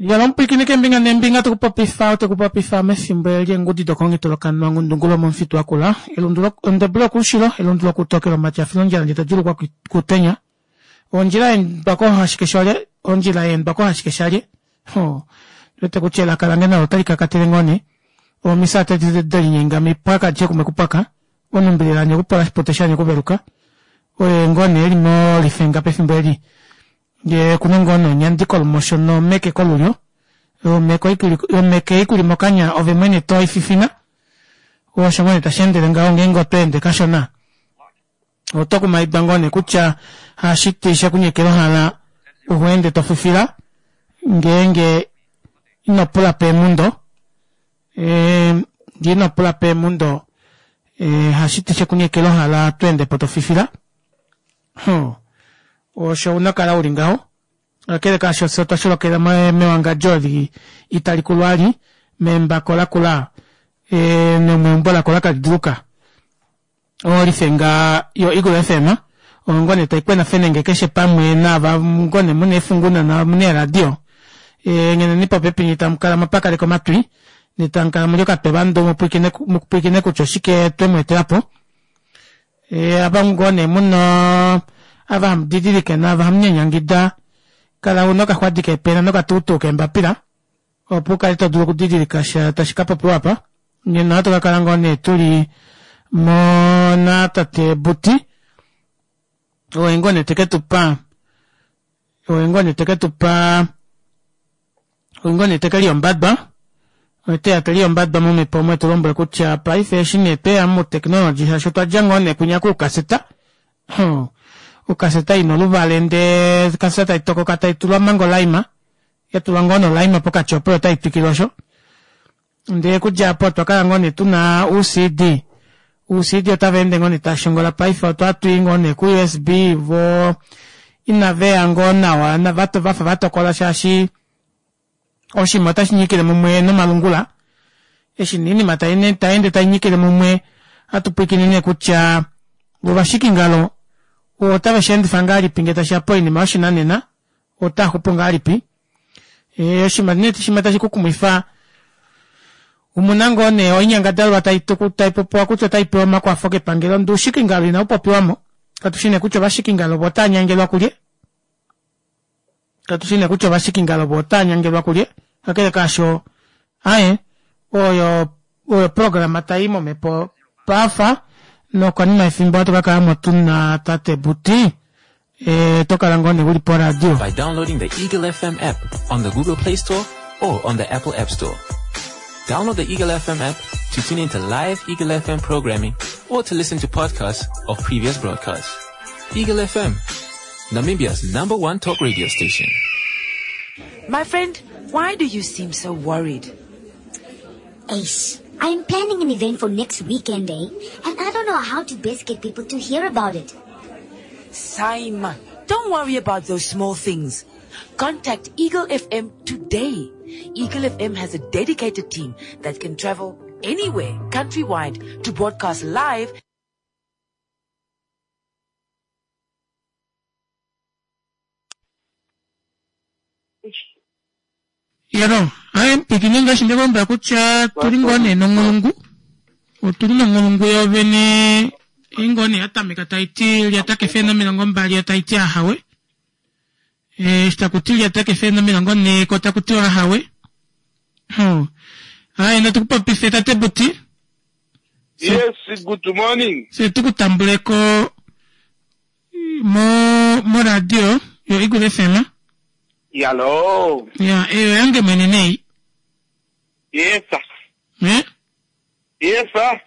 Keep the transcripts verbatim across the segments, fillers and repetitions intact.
Yalo keembinga neembinga tokupopifa otekupopifa mefimbo eli dokongito lokanwa ngundungulo momufitu wakula elundu ondebu lokuushilo elundu lokutokelo matyafilo ondjila ndje todjulukwa kutenya ondjila yeendwa kohashikeshalye ondjila yeendwa kohashikeshalye ho wete kutya elaka lange nalo otali kakatele ngoo nee omisa tadi delinyenga mipwaka dje kumwe kupwaka onumbililanye okupola shipute shanye okuveluka oye ngoo nee eli molifenga pefimbo eli ngee kuna ngoo nee onyandi kolumosho nomeke kolulyo omeke ikuli mokanya ove mwene toififina osho ngoo nee tasheendele ngaho ngeenge otweende kashona oto kumaidwa ngoo nee kutya hashiti shekunyekela ohala uheende tofifila ngeenge ino pula peemundo ngee ino pula peemundo hashiti shekunyekela ohala tweendepo tofifila osho una kala uli ngaho kakele kaasho fye otwa sholokela mewangadjo eli itali kulwali membako lakula nomeumbo lakula kaliduluka olifenga yo Eagle F M oyo nee taikwena fenenge keshe pamwe naava ngoo nee muna eefunguna namuna eeradio ngeneni popepi nye tamukala mwapakaleka omatwi nye tamukala muli okatwevandu mupwilikine kutya oshike twemweetelapo ava ngoo nee muna ava hamudidilike naava hamunyanyangida kala una okaxwadi keepena nokatuutuu keembapila opo ukale todulu okudidilika sha tashi kapopiwa apa nena ohatu kakala ngoo nee tuli mo tate Buti oye ngoo nee teketupa oye ngoo nee teketupa oye ngoo nee tekeliyombadwa oteya teliyombadwa momhepo omo etulombwele kutya paife eshi nee tweya mutechnology shaashi otwadja ngoo nee kwinya kuukaseta ukaseta ina oluvale ndee okaseta taitokoka taitulwa manga olaima yatulwa ngoo nolaima pokati opo otaitwikile osho ndee okudja aapo otwakala ngoo nee tuna U C D U C D otavaende ngoo nee tashongola paife otwatwii ngoo nee ku U S B voo inaveya ngoo nawa vafa vatokola shaashi oshinima otashi nyikile mumwe nomalungula eshi nee oinima tayeende tainyikile mumwe ohatu pwilikine nee kutya ovashikingalo otave sheendifa ngahelipi ngee tashiya poinima yoshinanena otaaxupu ngahelipi oshinima nee shimwe tashi kukumwifa omuna ngoo nee oinyangadalwa taipopiwa kutya otaipewa omakwafo kepangelo ndee oushikingalo inaupopiwamo katushi nee kutya ovashikingalo vo otaanyangelwa kulye katushi nee kutya ovashikingalo vo otaanyangelwa kulye kakele kaasho aye oyo oyo programa tai momhepo pafa nokonima yefimbo ohatu kakalamo tuna tate Buti e tokala ngoo nee uli poradio by downloading the Eagle F M app on the Google Play Store or on the Apple App Store. Download the Eagle F M app to tune into live Eagle F M programming or to listen to podcasts of previous broadcasts. Eagle F M, Namibia's number one talk radio station. My friend, why do you seem so worried? Ace, I'm planning an event for next weekend, eh? And I don't know how to best get people to hear about it. Saima, don't worry about those small things. Contact Eagle F M today. Eagle F M has a dedicated team that can travel anywhere, countrywide, to broadcast live. Yalo, aye mpikine ngaashi ndekulombwela kutya tuli ngoo nee nonghulungu otuli nonghulungu yovene ei ngoo nee yatameka taiti lyata kefele nomilongo mbali yo taiti ahawe eshi takuti lyata kefele nomilongo nhee ko takutiwa ahawe aye natukupopife tate Buti. Yes, good morning. Se tukutambuleko mo moradio yo Eagle F M. Yalo. Ya, eyo yange mwene nei. Yes, sir. Eh? Yes, sir.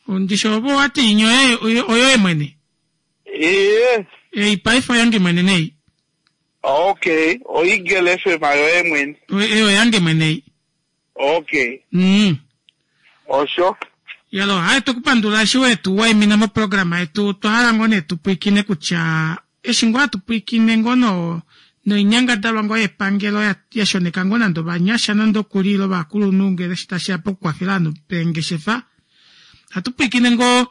Ondisho obo wati inyo oyo oyo mwene. Yes. Eh, paife yange mwene nei. Okay, o Eagle F M ayo mwene. Eyo yange mwene. Okay. Mm. Osho. Yalo, hayi tukupandula eshi wetu waimina mo programa yetu twahala ngoo nee tupwilikine kutya eshi ngoo hatupwilikine ngoo no noinyangadalwa ngoo yepangelo yashoneka ngoo nande ovanyasha nande okuli ile ovakulunhu ngele eshi tashiya pokukwafela ovanhu peengeshefa hatupwilikine ngoo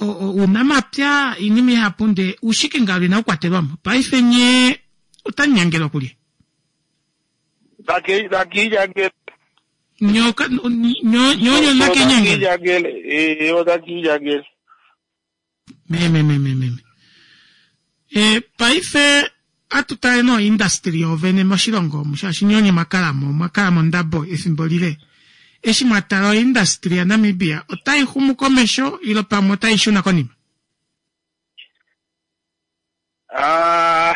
ounamapya oinima ihapu ndee uushikingalo inaukwatelwamo paife nye otamunyangelwa kulye. Nakiilyangele. Nyoka nyonyo nakiinyangele. Eh, onakiilyangele. Me me me me me. Eh, paife atutale no industry yovene moshilongo omu shaashi nyonye mwakalamo mwakalamo ndabo efimbo lile. Eshi mwatala oindustry yaNamibia otai xumu komesho ilo pamwe otai shuna konima? Ah,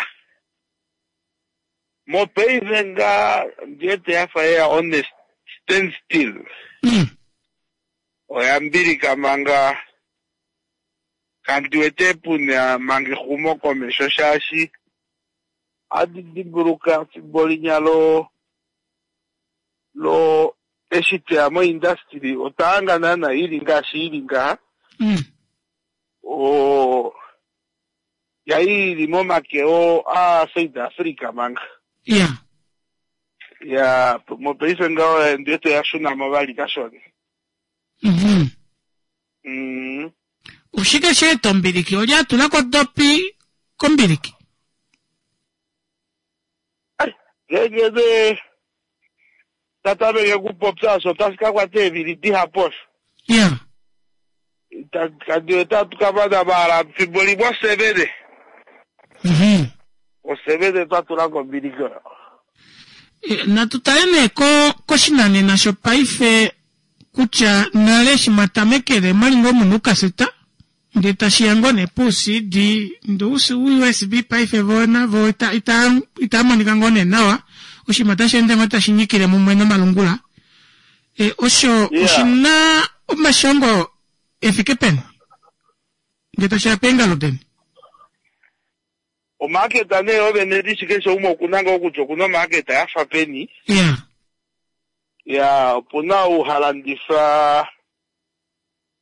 mopaife nga ndiwete yafa yeya on a stand still. Mm. Oya mbilika manga kandi wete puna manga exumo komesho shaashi adi dimbuluka fimbo linya lo lo eshi tweya moindustry otwa hanga naana ili ngaashi ili ngaha. Mm. O yai ili momake o a South Africa manga. Yeah. Ya mopaife ngaho ndiwete yashuna vali kashona. Mhm. Mm. Oshike sheeta ombiliki? Olye atulako dopi kombiliki? Ngenge ne tatameke kupopya osho otashi ka kwata eevili dihapu osho. Yeah. Kandi otatu ka mana maala fimbo limwe osevene. Mhm. Osevene twa tula kombiliki oyo. E, natu tale nee ko koshinanena shopaife kutya nale eshi mwatamekele mwali ngoo muna oukaseta ndee tashiya ngoo nee puu-C D ndee U S B paife vo navo ita, ita, ita monika ngoo nee nawa oshinima otashi ende ngoo tashi nyikile mumwe nomalungula. E, osho Yeah. oshina omashongo efike peni ndee tashiya peengalo deni? Omaketa nee ovene ndishi keshe umwe okuna ngoo kutya okuna omaketa yafa peni. Yeah. Ya opuna ou halandifa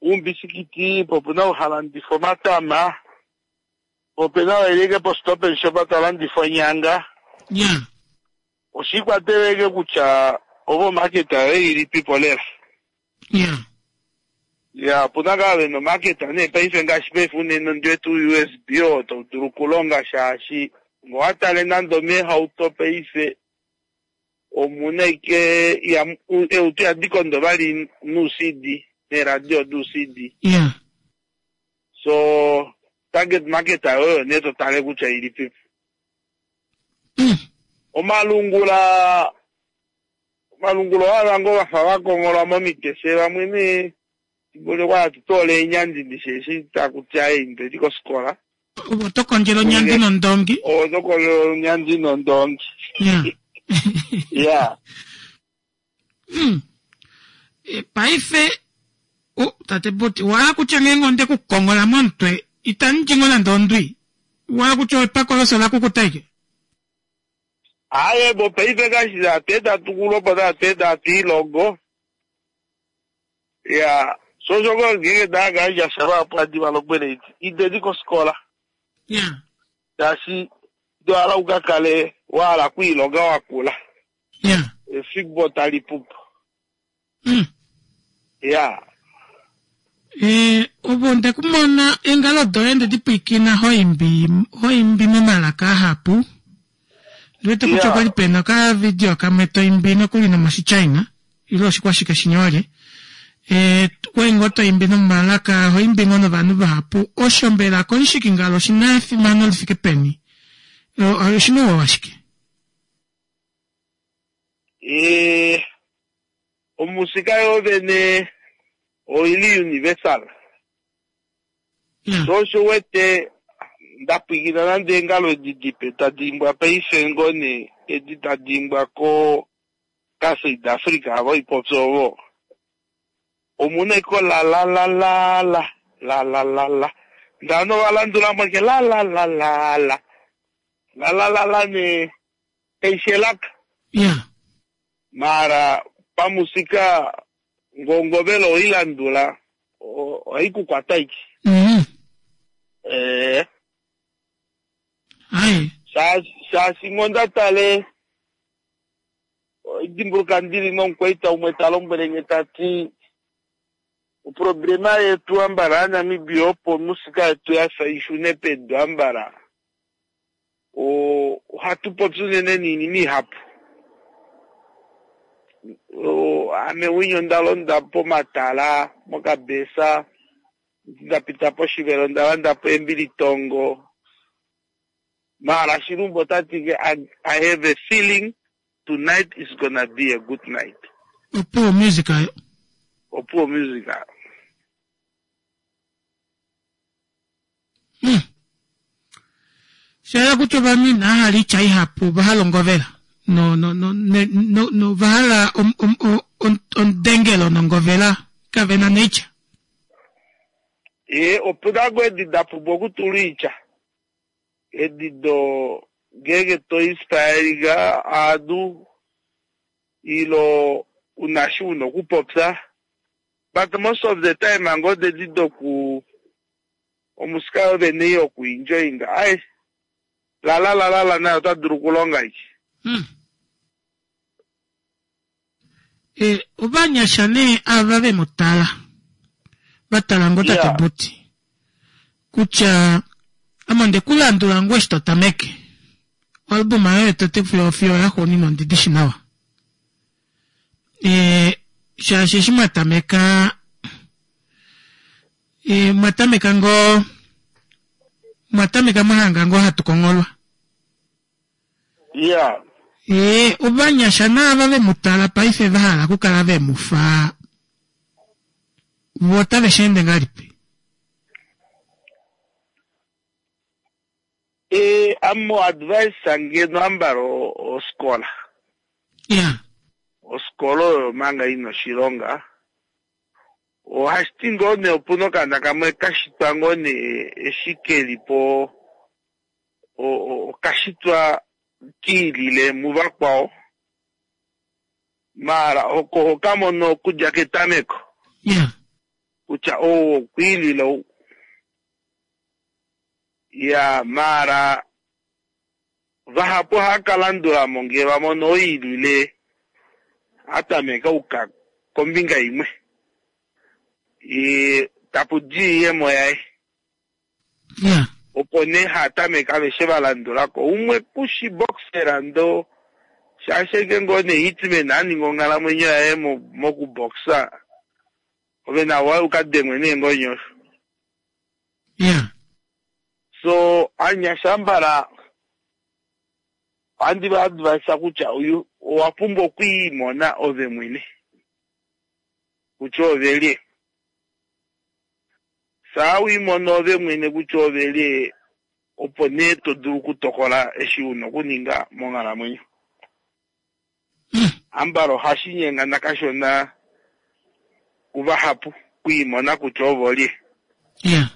uumbisikiti, po opuna ou halandifa omatama, po opena ou elike po stop and shop talandifa onyanga. Yeah. Oshiikwatelele kutya ovo omaketa yoye ilipipo lela. Yeah. Ya opuna ngaa vena omaketa nee paife ngaashi paife unene ondiwete U S B oo tau dulu okulonga shaashi ngowatale nande omeehauto paife omuna ike eutu yadikondo vali nuu C D neeradio duu C D. Yeah. So target market oyo nee totale kutya ilipipo. Mm. Omalungula omalungula owa ngoo vafa vakongolwa momitese vamwe nee kwa atutola eenyandi ndishi takuti ayi kosikola. Oto kondjela onyandi nondongi. Oto kondjela onyandi nondongi. Yeah. Yeah. Mm. E, paife o tate Buti wala kutya ngeenge onde kukongola momutwe itandi ngoo nande ondwi. Wala kutya epako loso lakukutaike. Aye bo paife ngaashi tate tukulopo tate tatiilongo. Ya so soko ngenge ndagandja shava adi valombwele iti indeni kosikola. Yeah. Shaashi ndo hala ukakale wahala okwiilonga wakula. Yeah. Efimbo tali pupu. Mm. Ya. Eh, ovo ndekumona eengalo doye ndedipwiikina hoimbi hoimbi momalaka ahapu. Ndiwete kutya Yeah. okwali pena okavidio kamwe toimbi nokuli nomoshichina ile oshikwashike shinyolye. Eh, kwali ngoo toimbi nomalaka hoimbi ngoo novanhu vahapu. Osho mbela komushikingalo oshina efimano lifike peni? Oshina ouwa washike? Eh, omusika yovene oili universal. Yeah. So osho wete ndapwikina nande eengalo edi dipe tadi imbwa paife ngoo nee edi tadi imbwa ko ka South Africa avo ipopya ovo. Omuna iko la la la la la la la la la. Ndano valandula mweke la la la la la la la la la ne eishelaka. Yeah. Mara pamusika ngongovelo oilandula oikukwata iki. Mm. Eh. Ai. Shaashi ngondatale dimbuluka ndili nomukwaita umwe talombwele nge tati oproblema yetu ambala yaNamibia opo musika yetu yafa ishune pedu ambala ohatu popi unene niinima ihapu. Ame winya onda londa pomatala mokabesa, nda pita poshivelo onda landa po embilitongo. Mara Shilumbu ota ti I, I have a feeling tonight is gonna be a good night. Opuwo Music ayo. Opuwo Music ayo. Hmm. Shayela kutya ovanhu inava hala oitya ihapu ova hala ongovela. No no no ne, no, no ova hala omudengelo nongovela kave na noitya. E opuna ngoo edi da pumbwa okutula oitya. Edi do ngeenge to inspiringa aanhu ilo una shi una okupopya. But most of the time ngoo dedi doku omusika yo vene yoku enjoyinga. Ai la la la la la nayo ota dulu okulonga iki. Hmm. E, ovanyasha nee ava ve mu tala va tala ngoo tate Yeah. Buti kutya ame onde ku landula ngoo eshi to tameke oalbuma yoye tote fiyo fiyo yaxuuninwa ondi dishi nawa. E, shaashi eshi mwa tameka e, mwa tameka ngoo mwa tameka mwahanga ngoo hatu kongolwa. Yeah. E, ovanyasha naava ve mu tala paife va hala okukala ve mu fa vo otave shi ende ngahelipi? E, amo advice ngeno ambala oskola. Yeah. Oskola oyo manga ina oshilonga. Ohashiti ngoo nee opuna okaana kamwe kashitwa ngoo nee eshi keli po okashitwa kiilile muvakwao. Mara oko hokamono okudja ketameko. Yeah. Kutya ou okwiilile ou. Ya mara vahapu ohava ka landulamo ngee vamono oilile atameka uka kombinga imwe. E, tapu di oiyemo yaye. Yeah. Opo nee hatameka aveshe va landulako. Umwe kushi boxera ndo shaashi ngoo nee hitman aninga onghalamwenyo yaye mokuboxa. Ove nawa ukadengwe neengonyo. Yeah. So anyasha mbala ohandi va advise kutya uyu owa pumbwa okwiimona ove mwene kutya ove lye. Saa wiimona ove mwene kutya ove lye, opo nee to dulu okutokola eshi una okuninga monghalamwenyo. Ambala ohashi nyengana kashona kuvahapu kwiimona kutya ovo lye. Yeah.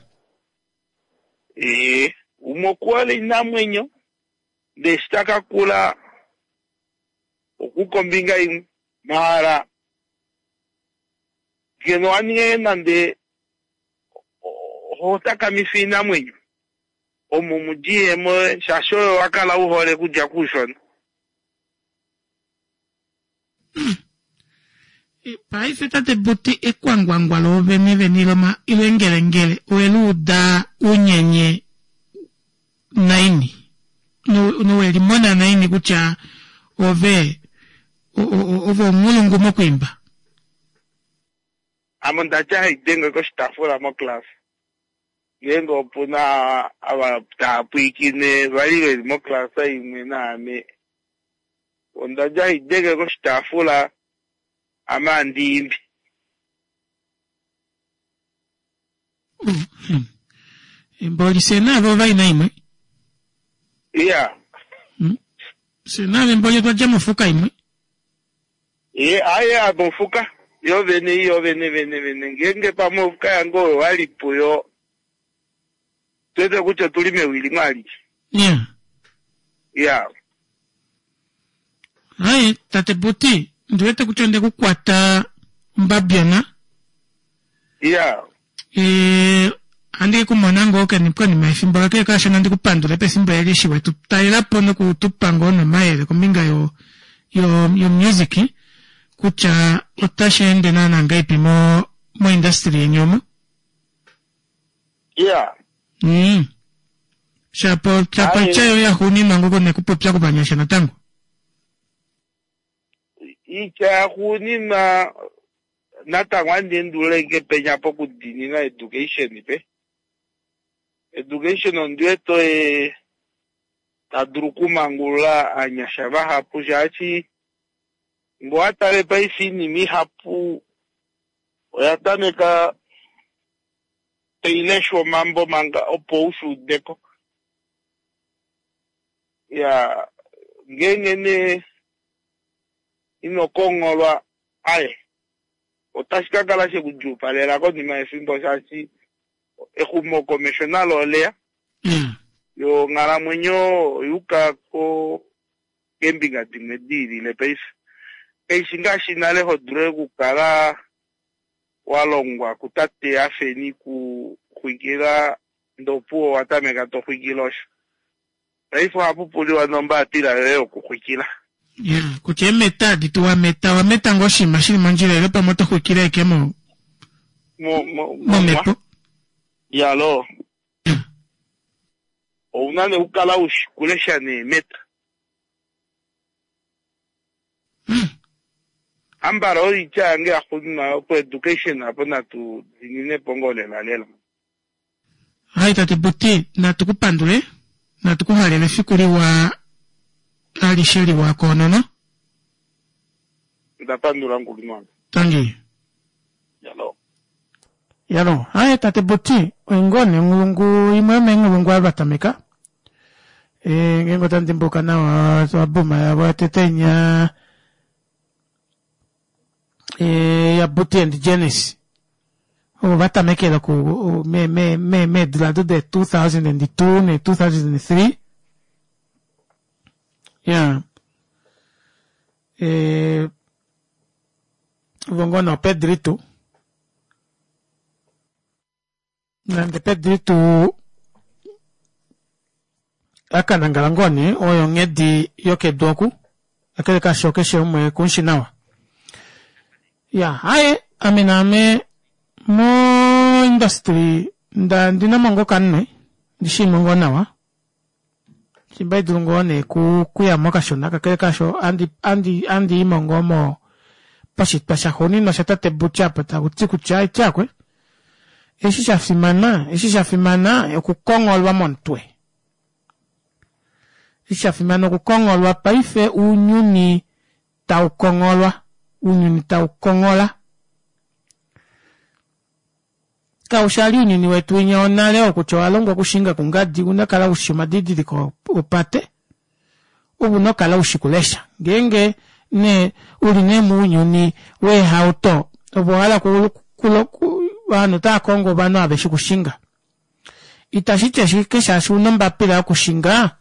Ee, umwe okuhole oinamwenyo ndee eshi taka kula okuka ombinga imwe. Maala ngeno waninge nande ohotakamifa oinamwenyo omo mudiyemo shaashi oyo wakala uhole kudja kuushona. Paife tate Buti ekwangwangwa loovene vene ilo ilo engelengele oweluuda unyenye naini nowelimona naini kutya ove ove omulungu mokwiimba. Ame ondatya haidenge koshitaafula moclass. Ngeenge opuna ava tava pwiikine vali veli moclass imwe naame ondadja haidenge koshitaafula ame andiimbi. Mboli fye naave ovaina imwe. Iya. Fye naave mboli otwa dja mofuka imwe. E, aye mofuka yo vene iyo vene vene vene ngeenge pamwe ofuka yange oyo wali puyo twete kutya otuli mewi limwe alike. Yeah. Iya. Hai tate Buti ndiwete kutya onde kukwata ombabyona. Iya. E, andi kumona ngoo konima yefimbo lake kashona ndi kupandule pefimbo eli eshi wetu talelapo nokutupa ngoo nomayele kombinga yo yo yo music kutya otashi ende naana ngahelipi mo mo industry yeni omo. Iya. Mm. Shapo shapo chayo yaxuuninwa ngoo nekupopya kovanyasha natango. Itya yaxuuninwa natango ohandi endulula ashike penya pokudiinina education pe. Education ondi wete oye ta dulu okumangulula ovanyasha vahapu shaashi ngee owatale paife oinima ihapu oya tameka taileshwa omambo manga opo ushuudeko. Iyaa ngeenge nee ino kongholwa aye otashi kakala shekudjuupalela konima yefimbo shaashi exumokomesho nalo oleya yo onghalamwenyo oyuuka ko keembinga dimwe diilile paife. Kaishi ngaashi nale hodulu okukala walongwa kutate afeni kuxwikila ndee opuwo owatameka toxwikile osho. Paife ohapupuliwa nombaapila yoye yokuxwikila. Ya kutya eemeta adi tu wameta owameta ngoo oshinima shili mondjila ile pamwe oto xwikile ashike mo momhepo. Iyaloo ouna nee okukala ushi kulesha neemeta. Ambala oyo oitya yange yaxuuninwa opo education apo natu diininepo ngoo lela lela. Hai tate Buti natu ku pandule natu ku halele efiku liwa alishe liwa koonono. Ndapandula mukulunhu wange. Tangi. Yalo. Yalo, haye tate Buti oingoo nee onghulungu imwe yomeenghulungu ava vatameka. E, ngeenge otandi dimbuluka nawa oalbuma yavo yotete inya e, ya Buti and Janice ovo vatamekele oku me, me, me, meedula ado de two thousand and two ne two thousand and three ya e, ovo ngoo nee oPedrito nande Pedrito akanangala ngoo nee oyo onghedi yokedu oku kakele kasho keshe umwe kumushi nawa ya haye ame naame mo industry nda ndinamo ngoo okanwe ndishimo ngoo nawa shimba haidulu ngoo nee kuyamo kashona kakele kasho andi andi andiimo ngoo mo poshitwa shaxuuninwa shatate Butya apa takuti kutya ityakwe eshi shafimana eshi shafimana okukongholwa momutwe eshi shafimana okukongholwa paife ounyuni taukongholwa ounyuni taukonghola kaushali ounyuni wetu winya wonale okutya owalongwa okushinga kungadi una kala ushi omadidiliko opate ove una okukala ushi kulesha ngeenge nee uli nee mounyuni weehauto ove owahala ovanhu otaakongo ovanhu ava veshi okushinga itashiti ashike shaashi una ombapila yokushinga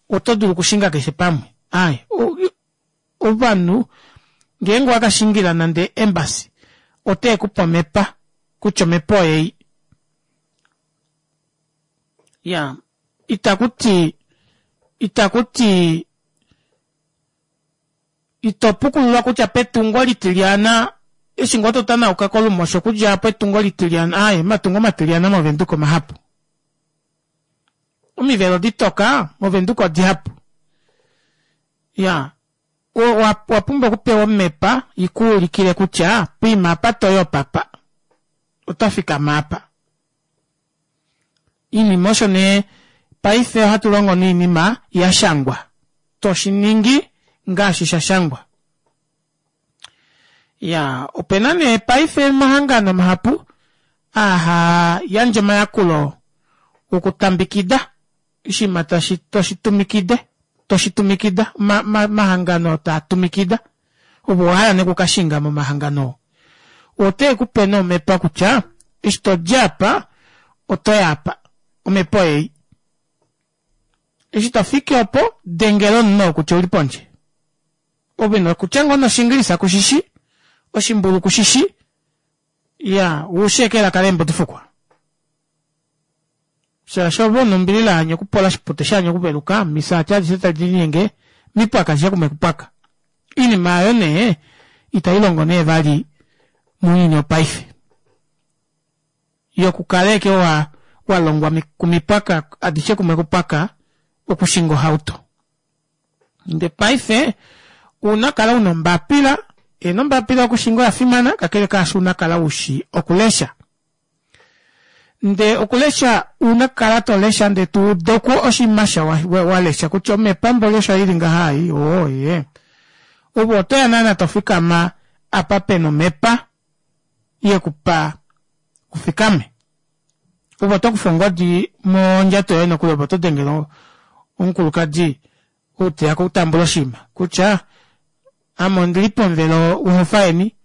oto dulu okushinga keshe pamwe aaye ovanhu ngeenge owakashingila nande embassy otekupe omepa kutya omepa oyei ya itakuti itakuti ito pukululwa kutya petungo litilyana eshi ngoo totanauka kolumosho okudja apo etungo litilyana aaye omatungo matilyana movenduka omahapu omivelo ditoka movenduka odihapu ya owapumbwa okupewa omepa ikuulikile kutya poima apa toyi opapa oto fikama apa iinima osho nee paife ohatu longo noinima yashangwa toshiningi ngaashi shashangwa ya opena nee paife omahangano mahapu aa haa yandje omayakulo okutambikida oshinima tashi toshitumikide toshitumikida omahangano taa tumikida ove owahala nee okukashinga momahangano oo otekupe nee omepa kutya eshi todi apa otoyi apa omepa oyeyi eshi tofiki opo dengela omunhu oo kutya ouli pondje ove nokutya ngoo noshingilisha kushishi oshimbulu kushishi iya ushi ashike elaka leembudifukwa shaashi ove una ombilila hanya okupola oshipute shanya okuveluka misaati adishe tadi linyenge mipwaka adishe kumwe kupwaka oinima aayo nee itailongo nee vali mounyuni wopaife yokukala ashike wa walongwa kumipwaka adishe kumwe kupwaka okushinga ohauto ndee paife Una kala una ombapila, ena ombapila yokushinga oya fimana, kakele kaasho una kala ushi okulesha. Ndee okulesha una kala tolesha ndee tuuduko oshinima sha walesha kutya omepambo lesha ili ngaha ei, oo ye. Ove otoya naana tofikama apa pena omepa yekupa ufikame. Ove otokufa ongodi mondjato yoye nokuli ove otodengele omukulukadi ou teya okutambula oshinima kutya ame ondili pomuvelo wohofa yeni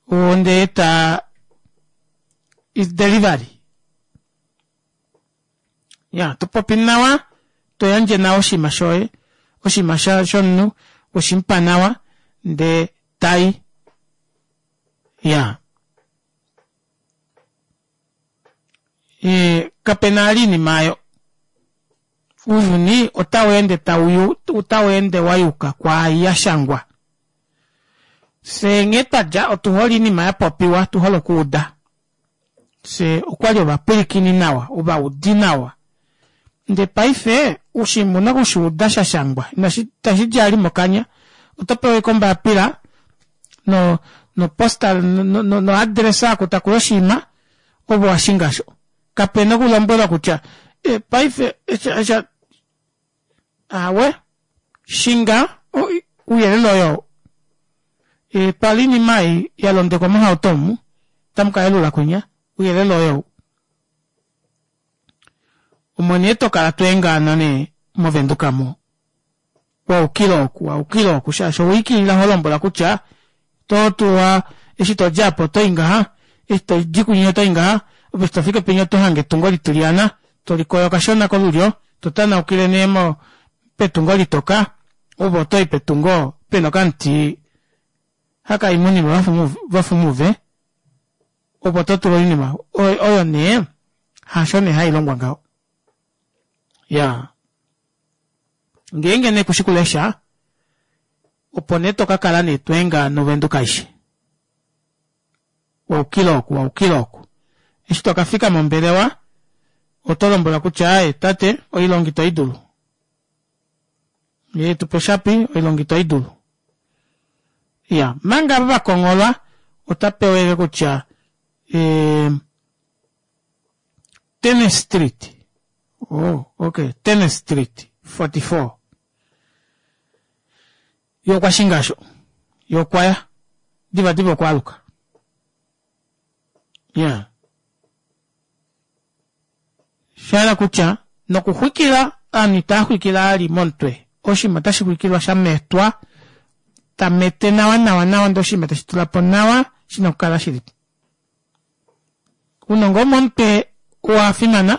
ondeeta is delivery. Ya topopi nawa toyandje nawa oshinima shoye oshinima shomunhu weshimupa nawa ndee tai. Iyaa ee kapena vali oinima aayo ounyuni otaweende tauyu otaweende wayuka kwaai yashangwa. Fyee nghee twadja otuhole oinima yapopiwa otuhole okuuda fyee okwali ovapwilikini nawa ovaudi nawa ndee paife oshinima ouna okushuuda shashangwa itashidi vali mokanya otopewa ashike ombapila no postal no address oku takuyi oshinima ove owashinga aasho kapena okulombwelwa kutya paife aawe shinga ouyelele oyoo twala oinima ei yalondekwa mohauto omu otamukayelula kwinya ouyelele oyou. Omo nee tokala tweengaana nee movenduka aamo waukila oku waukila oku shaashi owaikilila holombwelwa kutya ototuwa eshi todi aapa otoyi ngaha eshi todi kwinya otoyi ngaha ove eshi tofiki penya otohange etungo litilyana tolikoyo kashona kolulyo totanaukile nee petungo litoka ove otoyi petungo pena okamuti hakaimi ounima vafa omuve opo totula oinima oyo nee hasho nee hailongwa ngaho. Iyaa ngeenge nee kushi kulesha opo nee tokakala nee tweengaana ovenduka aishe waukila oku waukila oku eshi tokafika mombelewa otolombwelwa kutya aaye tate oilonga ito idulu ee tupa oshapi oilonga ito idulu. Iyaa omanga ava vakongholwa otapewa ashike kutya ee tennis street oh okay tennis street forty four yee okwashinga aasho yee okwaya divadiva okwaaluka iyaa shahala kutya nokuxwikila ovanhu itaaxwikile vali momutwe oshinima otashi xwikilwa shametwa tamete nawa nawa nawa ndee oshinima teshi tulapo nawa shina okukala shilipo. Ounongo womomutwe owafimana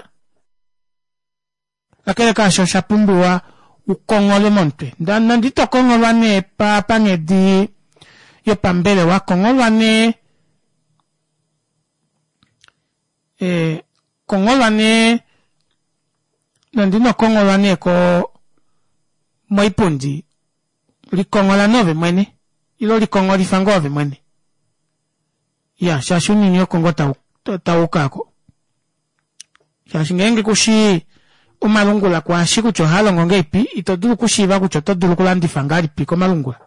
kakele kaasho oshapumbiwa ukongholwe momutwe nande ito kongholwa nee panghedi yopambelewa kongholwa nee ee kongholwa nee nande ino kongholwa nee koo moipundi likonghola nee ove mwene ile likongholifa ngoo ove mwene iyaa shaashi ounyuni oko ngoo tawuuka aako shaashi ngeenge kushii omalungula kwaashi kutya ohaalongo ngahelipi ito dulu okushiiva kutya oto dulu okulandifa ngahelipi komalungula.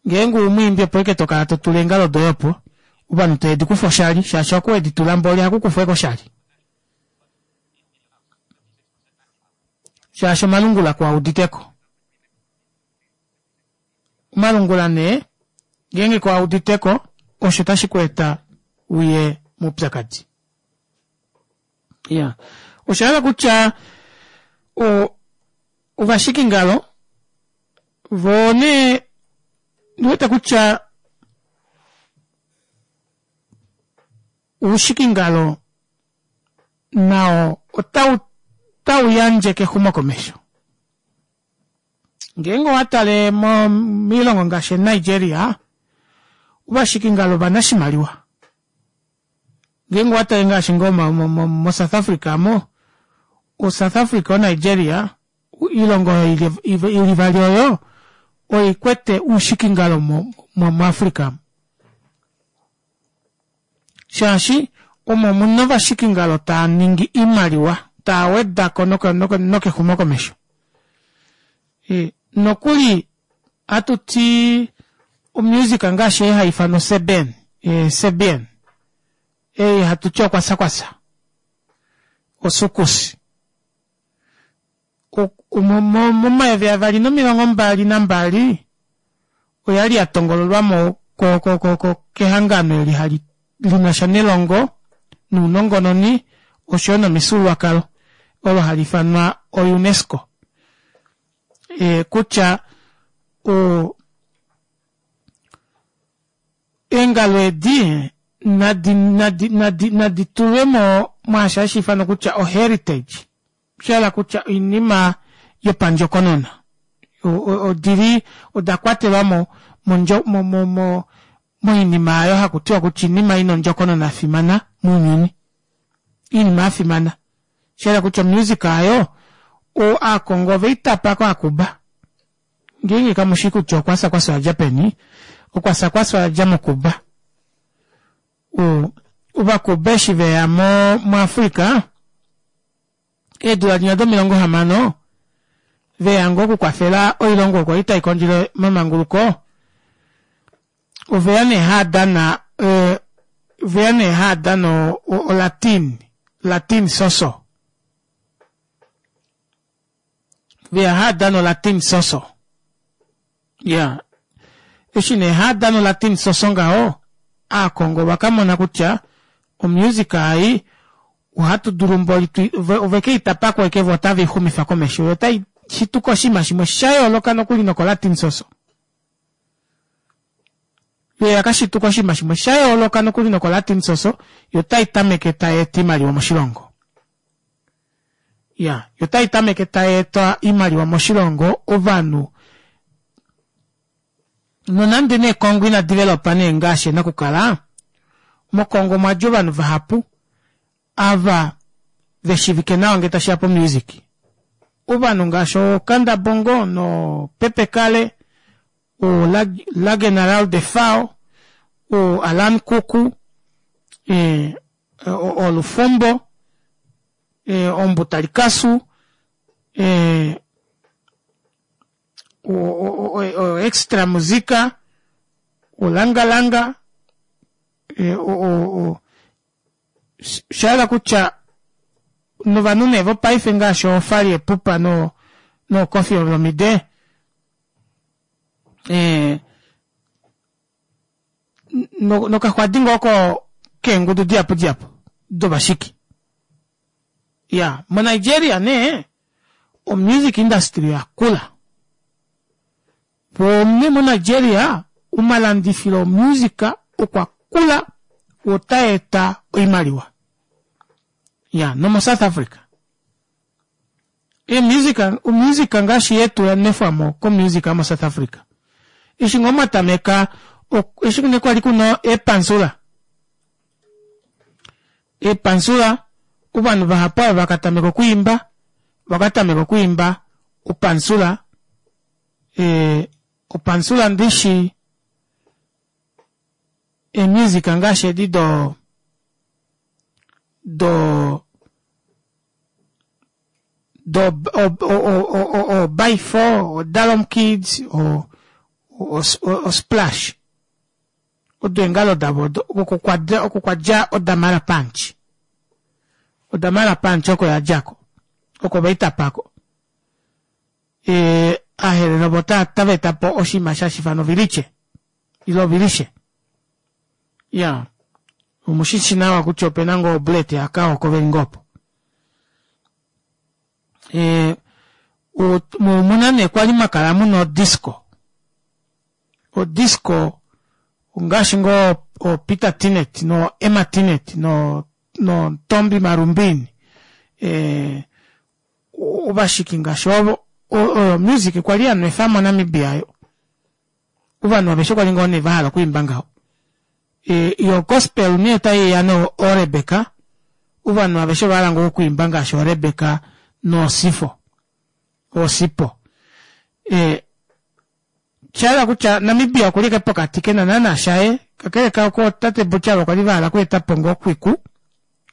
Ngeenge umwiimbi opo ashike tokala totula eengalo doye opo ovanhu teve dikufa oshali shaashi oku weditula mboli ohakukufwa ashike oshali shaashi omalungula kuauditeko. Omalungula nee ngeenge kuauditeko osho tashi kweeta uye moupyakadi. Iyaa oshahala kutya ovashikingalo voo nee ondiwete kutya oushikingalo nao ota utauyandje kexumokomesho. Ngeenge owatale moilongo ngaashi nigeria ovashikingalo ovanashimaliwa ngeenge owatale ngaashi ngoo mo south africa aamo o south africa o nigeria oilongo oyo ili ivali oyo oikwete oushikingalo mo africa shaashi omo muna ovashikingalo taaningi oimaliwa taawedako nokexumokomesho nokuli Atuti omusic ngaashi ei haifanwa oseben sebien ei hatuti okwasakwasa osukusi momayovi avali nomilongo mbali nambali oyali yatongololwamo ko ko ko kehangano eli hali linasha nelongo nounongononi oshoyo nomifyuululwakalo olo haliifanwa o UNESCO kutya oo eengalo edi nadi nadi nadi nadi tulwemo mwaasho hashiifanwa kutya o heritage oshahala kutya oinima yopandjokonona odili odakwatelwamo mo mo moinima aayo hakutiwa kutya oinima ina ondjokonona yafimana mounyuni oinima yafimana shahala kutya omusic aayo aakongo oveitapa kaacuba ngeenge kamushi kutya okwasa kwasa oyadja peni okwasa kwasa oyadja mo cuba ovacuba eshi veya mo africa eedula dinya domilongo hamano veya ngoo okukwafela oilongo oyo kwali taikondjele omamanguluko oveya nee haadana oveya nee haadana o latin latin soso veya haadana o latin soso iyaa eshi nee haadana o latin soso ngaho aakongo ovakamona kutya omusic ei ohatu dulu mboli ovekeitapako ashike voo otaveixumifa komesho yoo otaishituka oshinima shimwe shayooloka nokuli noko latin soso yoo oyakashituka oshinima shimwe shayooloka nokuli noko latin soso yoo otaitameke tayeeta oimaliwa moshilongo iya yoo otaitameke tayeeta oimaliwa moshilongo ovanhu nonande nee congo ina developa nee ngaashi ena okukala mo congo omwadja ovanhu vahapu ava veshivike nawa ngee tashiya po music ovanhu ngaashi oo kanda bongo noo pepe kale oo la general defao oo alan kuku olufumbo ombuta likasu o extra musica o langa langa oshahala kutya novanhu nee vopaife ngaashi oo fally ipupa no koffi olomide nokaxwadi ngoo keengudu dihapu dihapu dovashiki iyaa mo nigeria nee o music industry oyakula poo nee mo nigeria omalandifilo omusic okwakula otaeta oimaliwa iya nomo south africa emusic omusic ngaashi yetu yanwefwamo komusic yomo south africa eshi ngoo mwatameka eshi nee kwali kuna eepansula eepansula ovanhu vahapu ava vakatameka okwiimba vakatameka okwiimba opansula opansula ndishi emusic ngaashi edi doo do do o by four o dalom kids o o splash odo eengalo davo odo oko kwadja odamara punch odamara punch oko yadjako oko veitapako aaherero ovo otavaetapo oshinima hashiifanwa oviliche ile ovilishe iyaa omushishi nawa kutya opena ngoo oblet yakao oko veli ngoo opo omuna nee kwali mwakala muna odisco odisco ongaashi ngoo o peter tinet no emma tinet no ntombi marumbini ovashiki ngaashi ovo oyo music kwali yanwefamo namibia aayo ovanhu aveshe kwali ngoo nee vahala okwiimba ngaho yo gospel nee otaiya no rebecca ovanhu aveshe ovahala ngoo okwiimba ngaashi orebecca nosifo osipo oshahala kutya namibia okuli ashike pokati kena naana shaye kakele kaako tate buchaba kwali vahala okweetapo ngoo okwiku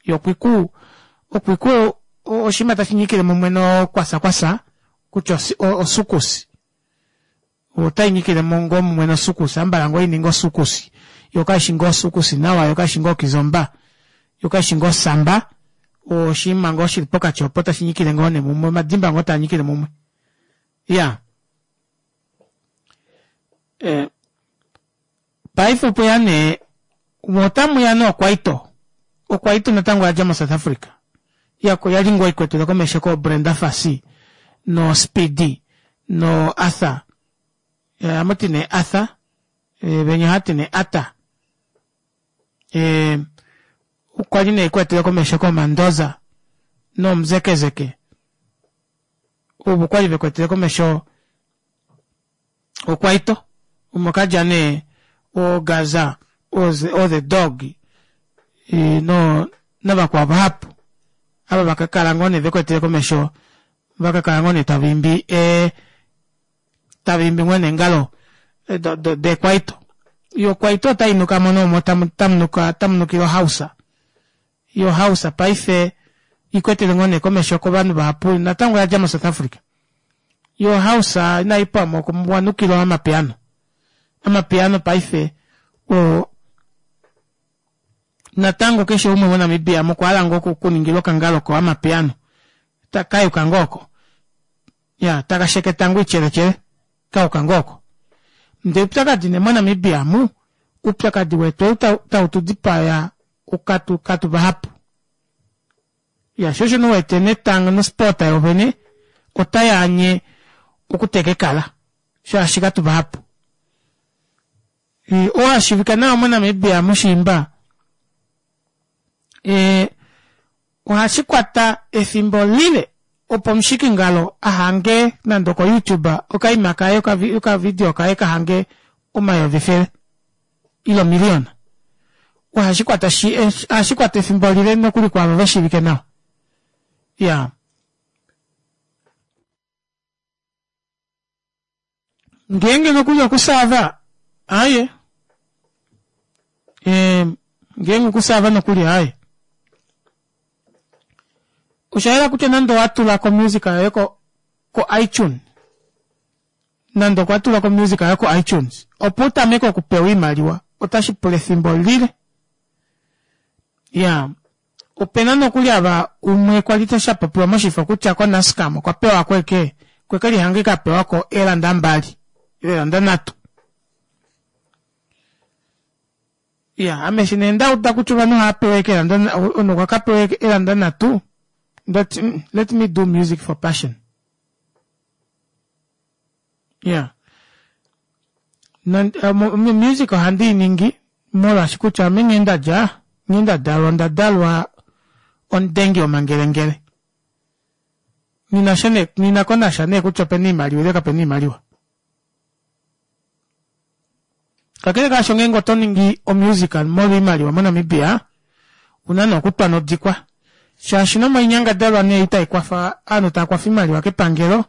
yo okwiku okwiku oshinima tashinyikile mumwe no kwasa kwasa kutya osukusi Otainyikile ngoo mumwe nosukusi ambala ngoo ininga osukusi yoo kaishi ngoo osukusi nawa yoo kaishi ngoo okizomba yoo kaishi ngoo samba oshiima ngoo shili pokati opo tashinyikile ngoo nee mumwe omadimba ngoo taanyikile mumwe iyaa ee paife opweya nee otamuya nee okwaito okwaito natango oyadja mo South Africa yali ngoo ikwetele komesho koo Brenda Fassie no Speedy no Arthur amuti nee Arthur venya ohati nee Arthur okwali nee ikwetele komesho ko Mandoza no Mzekezeke ovo kwali vekwetele komesho okwaito omo kadja nee o Gaza o the dog no navakwao vahapu ava vakakala ngoo nee vekwetele komesho vakakala ngoo nee tavaimbi ee tavaimbi ngoo nee eengalo dekwaito yoo kwaito otainukamo nee omo tamunukile o house yo house paife ikwetele ngoo nee komesho kovanhu vahapu natango oyadja mo South Africa yo house inaipwamo owanukilwa amapiano amapiano paife oo natango keshe umwe mo Namibia mokwahala ngoo okuningilwa okangalo ko amapiano kayuka ngoo oko iya takasheketa ngoo oityeletyele kayuka ngoo oko ndee oupyakadi nee mo Namibia omu oupyakadi wetu ou tautudipaya katu vahapu iya shoo osho nee uwete netanga nosport yoovene otayaanye okuteka ekala shaashi katuvahapu oo ashiivika nawa mo Namibia mushiimba ee ohashikwata efimbo lile opo omushikingalo ahange nande oko youtube okaima kaye okavideo kaye kahange omayovi efele ile omiliyona ohashikwata ohashikwata efimbo lile nokuli kwaavo veshiivike nawa iyaa ngeenge nokuli okusaava aaye ee ngeenge okusaava nokuli aaye oshayela kutya nande owatulako omusic yoye ko ko itune nande okwa tulako omusic yoye ko itunes opo utameke okupewa oimaliwa otashipula efimbo lile iyaa opena nokuli ava umwe kwali shapopiwa moshifo kutya ko Nascam okwa pewako eke okwekelihanga ashike apewako eelanda mbali ile eelanda nhatu iya ame eshi nee ndauda kutya ovanhu ohaapewa ashike eelanda omunhu okwa kapewa eelanda nhatu ndati let me do music for passion iya music ohandi iningi molwaashi kutya ame nghee ndadja nghee ndadalwa ondadalwa omudengi womangelengele ninasha nee nghinakonasha nee kutya opena oimaliwa ile kapena oimaliwa kakele kaasho ngeenge otoningi omusic molwa oimaliwa mo Namibia una nee okutwa nodikwa shaashi nomoinyangadalwa nee itaikwafa ovanhu taakwafa oimaliwa kepangelo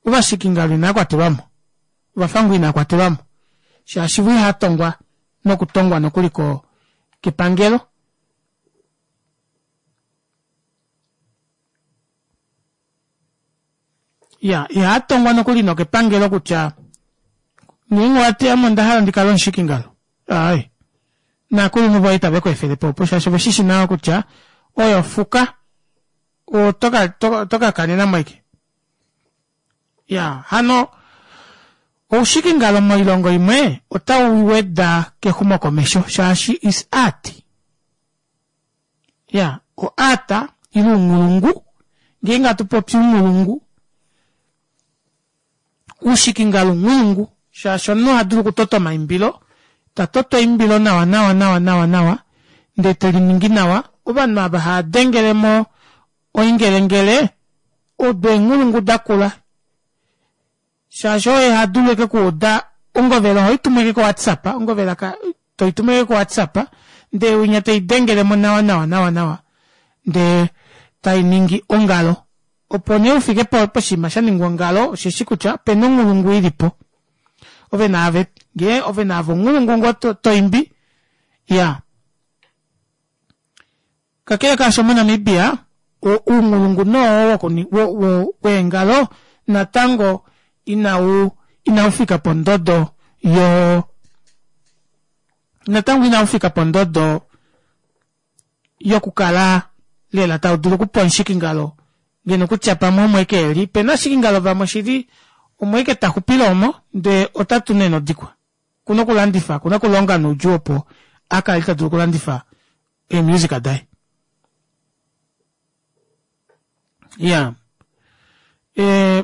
ovashikingalo inaakwatelwamo ovafangu inaakwatelwamo shaashi voo ihaatongwa nokutongwa nokuli ko kepangelo iya ihaatongwa nokuli nokepangelo kutya ngeenge owati ame ondahala ndikale omushikingalo aaye naakulunhu voye itave kweefelepo opo shaashi oveshishi nawa kutya oyo fuka oto kakanenamo ashike iya hano oushikingalo moilongo imwe otauweda kexumokomesho shaashi is art iya o art ile ounghulungu ngeenge hatupopi ounghulungu oushikingalo ounghulungu shaashi omunhu ohadulu okutota omaimbilo tatoto eimbilo nawa nawa nawa nawa nawa ndee teliningi nawa ovanhu ava haadengelemo oingelengele odo eenghulungu dakula shaashi oye hadulu ashike okuuda ongovela ohoitumu ashike ko whatsapp ongovela toitumu ashike ko whatsapp ndee winya teidengelemo nawa nawa nawa nawa ndee tainingi ongalo opo nee ufike poshinima shaningwa ongalo osheshi kutya opena onghulungu ilipo ove naave ngee ove naave onghulungu ngoo toimbi iyaa kakele kaasho mo Namibia ounghulungu nee oo weengalo natango inau inaufika pondodo yo natango inaufika pondodo yokukala lela taudulu okupa omushikingalo ngeno kutya pamwe omo ashike eli opena ovashikingalo vamwe shili omo ashike taxupile omo ndee otatu nee nodikwa okuna okulandifa okuna okulonga noudjuu opo akale tadulu okulandifa ee music daye iyaa ee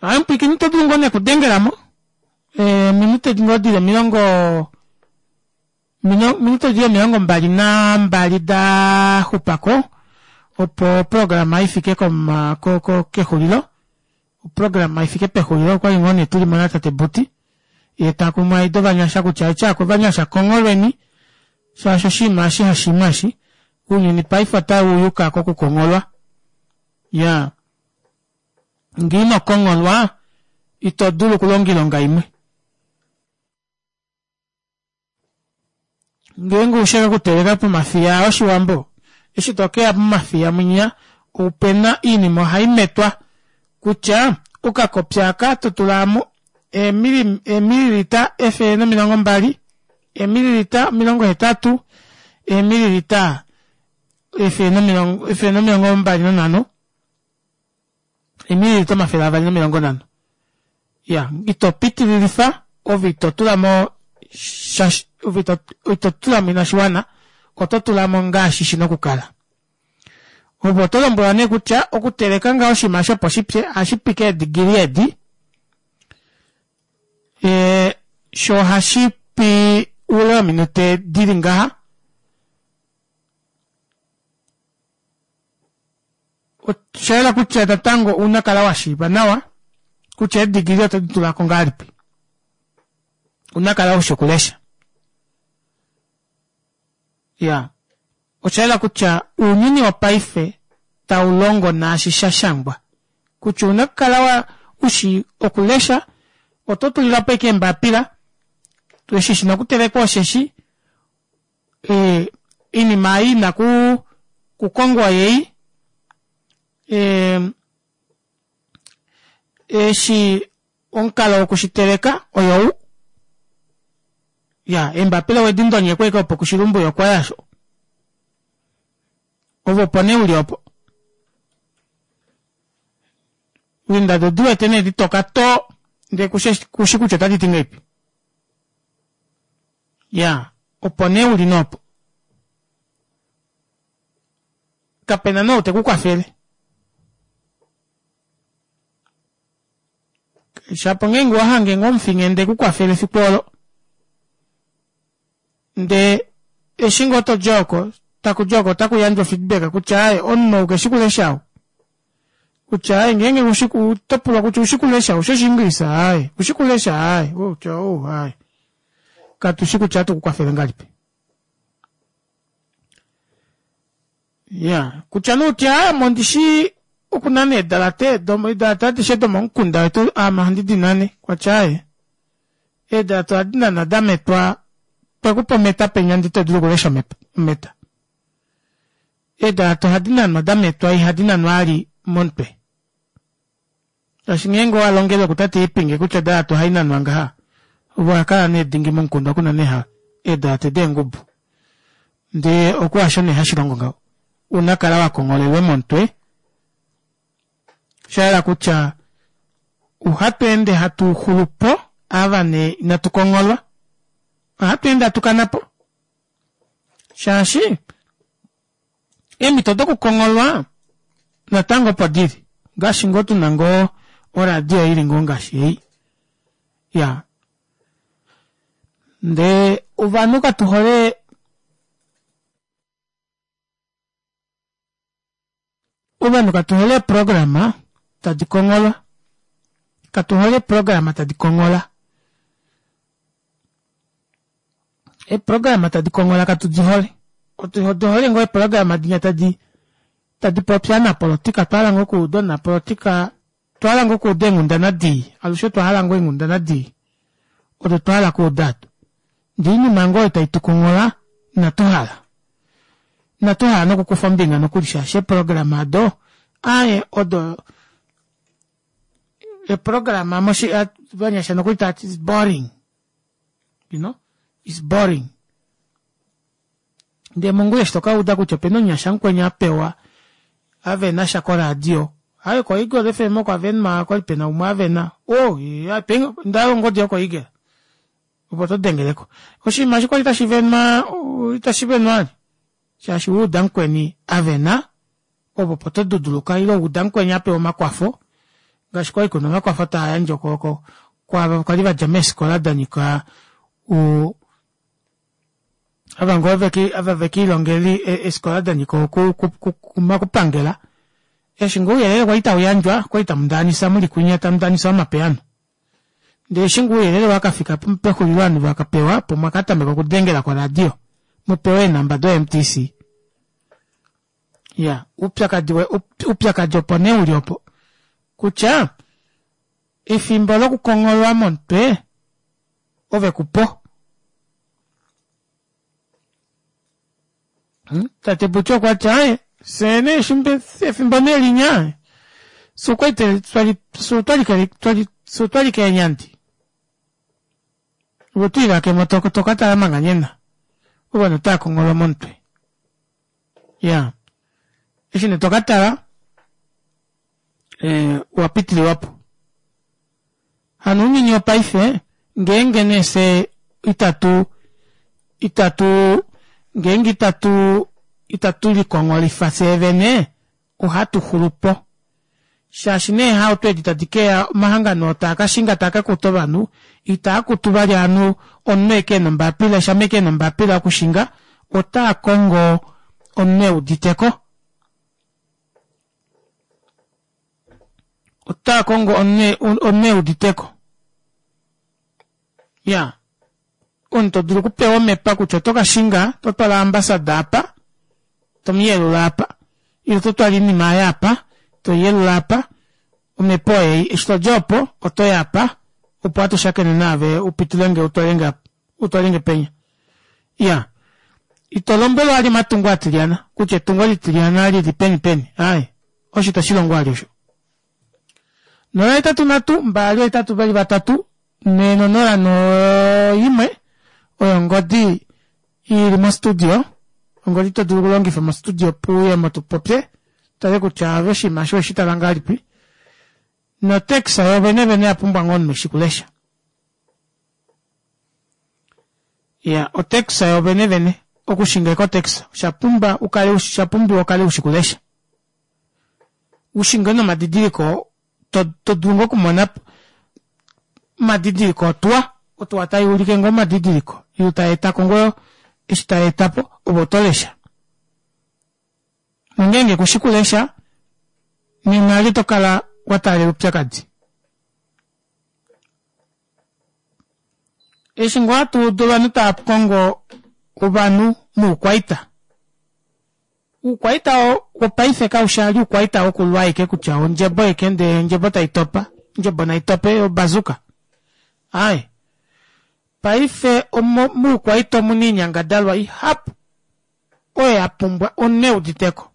aaye mupwiikini oto dulu ngoo nee okudengelamo eeminute ngoo dili omilongo ominute dili omilongo mbali nambali daxupako opo oprograma ifike kexulilo oprograma ifike pexulilo okwali ngoo nee tulimo natate Buti yee takumaida ovanyasha kutya etyaako ovanyasha kongholweni shaashi oshinima eshi hashiima eshi ounyuni paife otauyuka kokukongholwa iyaa ngee inokongholwa ito dulu okulonga oilonga imwe ngeenge ushi ashike okuteleka pomafiya oshiwambo eshi tokeya momafiya munya opena oinima ohaimetwa kutya okakopi aaka totula eemililita efele nomilongo mbali eemililita omilongo hetatu eemililita efele nomilongo mbali nanhano eemililita omafele avali nomilongo nhano iyaa ito pitililifa ove itotulamo ove itotulamo inashiwana oto tulamo ngaashi shina okukala ove otolombwelwa nee kutya okuteleka ngaho oshinima eshi opo shipye ohashipi kee degree edi ee shoo ohashipi oule wominute dili ngaha oshayela kutya natango ounakala washiiva nawa kutya ee degree oto ditulako ngahelipi ounakala ushi okulesha iyaa oshayela kutya ounyuni wopaife taulongo naashi shashangwa kutya ouna okukala ushi okulesha oto tulilapo ashike eembapila eshi shina okutelekwa osheshi ee oinima ei ina kukongwa oyeyi ee eshi omukalo wokushiteleka oyou iya eembapila owedindonyekwa ashike opo kushilumbu okwaya aasho ove opo nee uli opo eendado odiwete nee ditoka too ndee kushi kutya otaditi ngahelipi iyaa opo nee uli nee opo kapena nee ou tekukwafele shapo ngeenge owahange ngoo omufinghenda ekukwafele efiku olo ndee eshi ngoo todi oko takudi oko otakuyandjwa feedback kutya aaye omunhu ou keshi kulesha ou kutya aaye ngeenge otopulwa kutya oushi kulesha oushi oshiingilisa aaye oushi kulesha aaye outya ou aaye katushi kutya ohatu kukwafele ngahelipi iya kutya nee utye aaye ame ondishi okunana eedalate eedalate adishe domomukunda wetu ame ohandi dinane kwatya aaye eedalate ohadi nanwa dametwa twekupa ometa penya ndee itodulu okulesha ometa eedalate ohadi nanwa dametwa ihadi nanwa vali momutwe shaashi ngeenge owalongele kutate Iipinge kutya odalate ohainanwa ngaha ove owakala nee dingi momukunda okunana eedalate deengubu ndee oko hasho nee hashilongo ngaho unakala wakongholelwe momutwe shayela kutya ohatweende hatu xulupo ava nee inatu kongholwa ohatweende hatukanapo shaashi eemito dokukongholwa natango opo dili ngaashi ngoo tuna ngoo oradio ili ngoo ngaashi ei iyaa ndee ovanhu katuhole ovanhu katuhole eeprograma tadi kongholwa katuhole eeprograma tadi konghola eeprograma tadi konghola katudihole otuhole ngoo eeprograma dinya tadi tadi popi ovanapolitika otwahala ngoo okuuda omunapolitika otwahala ngoo okuuda eenghundana dii alushe otwahala ngoo eenghundana dii odo twahala okuuda aado ndee oinima ngoo oyo taitukonghola inatuhala inatuhala nokukufa ombinga nokuli shaashi eeprograma aado aaye odo Eprograma moshi vanyasha nokuli tati is boring. You know? It's boring. Ndee mongula eshi tokauda kutya opena omunyasha mukweni apewa avena sha koradio aaye ko Eagle F M oko avenwa okwali pena umwe avena oh ndahala ongodi yoko Eagle opo todengeleko oshinima eshi kwali tashi venwa itashi venwa vali shaashi wauda mukweni avena ove opo toduduluka ile wauda mukweni apewa omakwafo ngaashi kwali kuna omakwafo taayandjwa ko kwaava kwali vadja meefikola danyika uu ava ngoo ava vekiilongela eefikola danyika omakupangela eshi ngoo ouyelele kwali tauyandjwa okwali tamundaanisa muli kunya tamundaanisa omapiano ndee eshi ngoo ouyelele wakafika pexulilo ovanhu vakapewa opo mwakatameka okudengela koradio mupewe eenamba do M T C. Iya oupyakadi oupyakadi opo nee uli opo kutya efimbo lokukongholwa momutwe ove kupo. Tate Butya okwati aaye fyee nee efimbo nee linya fyee okwali twali fyee otwali keenyandi ove otwiilakemo tokatala manga nena ovanhu otaakongholwa momutwe. Iyaa eshi nee tokatala ee owapitililwapo. Hano ounyuni wopaife ngeenge nee fyee itatu itatu ngeenge itatu itatu likongholifa fyee ohatu xulupo shaashi nee eehauto edi tadi keya omahangano oo taakashinga taakakuta ovanhu itaakutu vali ovanhu omunhu ashike ena ombapila shama ashike ena ombapila yokushinga otaakongo omunhu euditeko otaakongo omunhu euditeko iyaa omunhu todulu okupewa omepa kutya otokashinga ototwala ambassador apa tomuyelula aapa ile ototwala oinima aayo apa toiyelula aapa omepa oyeyi eshi todi opo otoyi apa opo hatu shakene naave upitulenge utwalenge apa utwalenge penya iyaa ito lombwelwa vali omatungo atilyana kutya etungo litilyana lili peni peni aaye osho itashilongo vali osho. Nola hetatu nhatu mbali ohetatu veli vatatu nhee nonola noimwe oyo ongodi ili mo studio ongodi todulu okulongifa mo studio opo uyemo tupopye tutale kutya ove oshinima eshi oweshitala ngahelipi no tax yoovene vene oyapumbwa ngoo omunhu eshi okulesha. Iya o tax yoovene vene okushinga ashike o tax oshapumba ukale oshapumbiwa ukale ushi okulesha ushinge nomadidiliko todulu ngoo okumona omadidiliko otuwa otuwa tayuulike ngoo omadidiliko ile tayeetako ngoo eshi tayeetapo ove otolesha nongenge kushi kulesha nena eli otokala wataalela oupyakadi. Eshi ngoo hatuudu ovanhu taakongo ovanhu moukwaita oukwaita wopaife kaushi vali oukwaita wokulwa ashike kutya ondjebo ashike ndee ondjebo taitopa ondjebo naitope obazuka aaye paife moukwaita omuna oinyangadalwa ihapu oyo yapumbwa omunhu euditeko.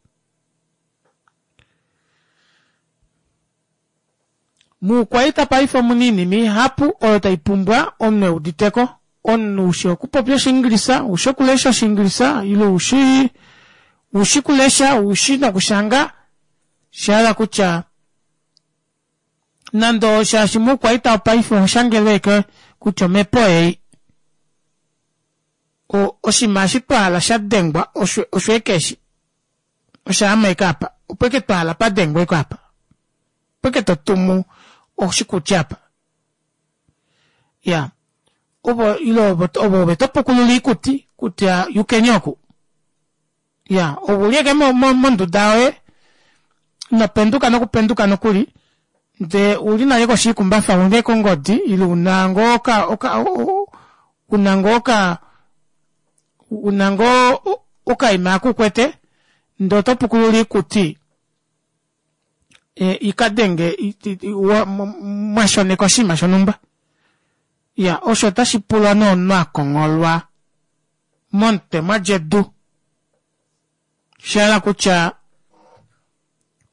Moukwaita paife omuna oinima ihapu oyo taipumbwa omunhu euditeko omunhu ushi okupopya oshiingilisa ushi okulesha oshiingilisa ile ushi ushi kulesha ushi nokushanga oshahala kutya nande shaashi moukwaita wopaife ohoshangelwa ashike kutya omepa oyeyi oshinima eshi twahala shadengwa osho ashike eshi oshaama ashike aapa opo ashike twahala padengwe ashike aapa opo ashike totumu oshikuti aapa iyaa ovo ile ove topukulula oikuti kutya yukeni oku iyaa ove uli ashike monduda yoye inopenduka nokupenduka nokuli ndee ouli nale koshi yoikumbafa una ashike ongodi ile una ngoo oka oka una ngoo oka una ngoo okaima oko ukwete ndee otopukulula oikuti ikadenge mwashoneka oshinima shonumba iyaa osho otashipula nee omunhu akongholwa momutwe mwadja edu oshahala kutya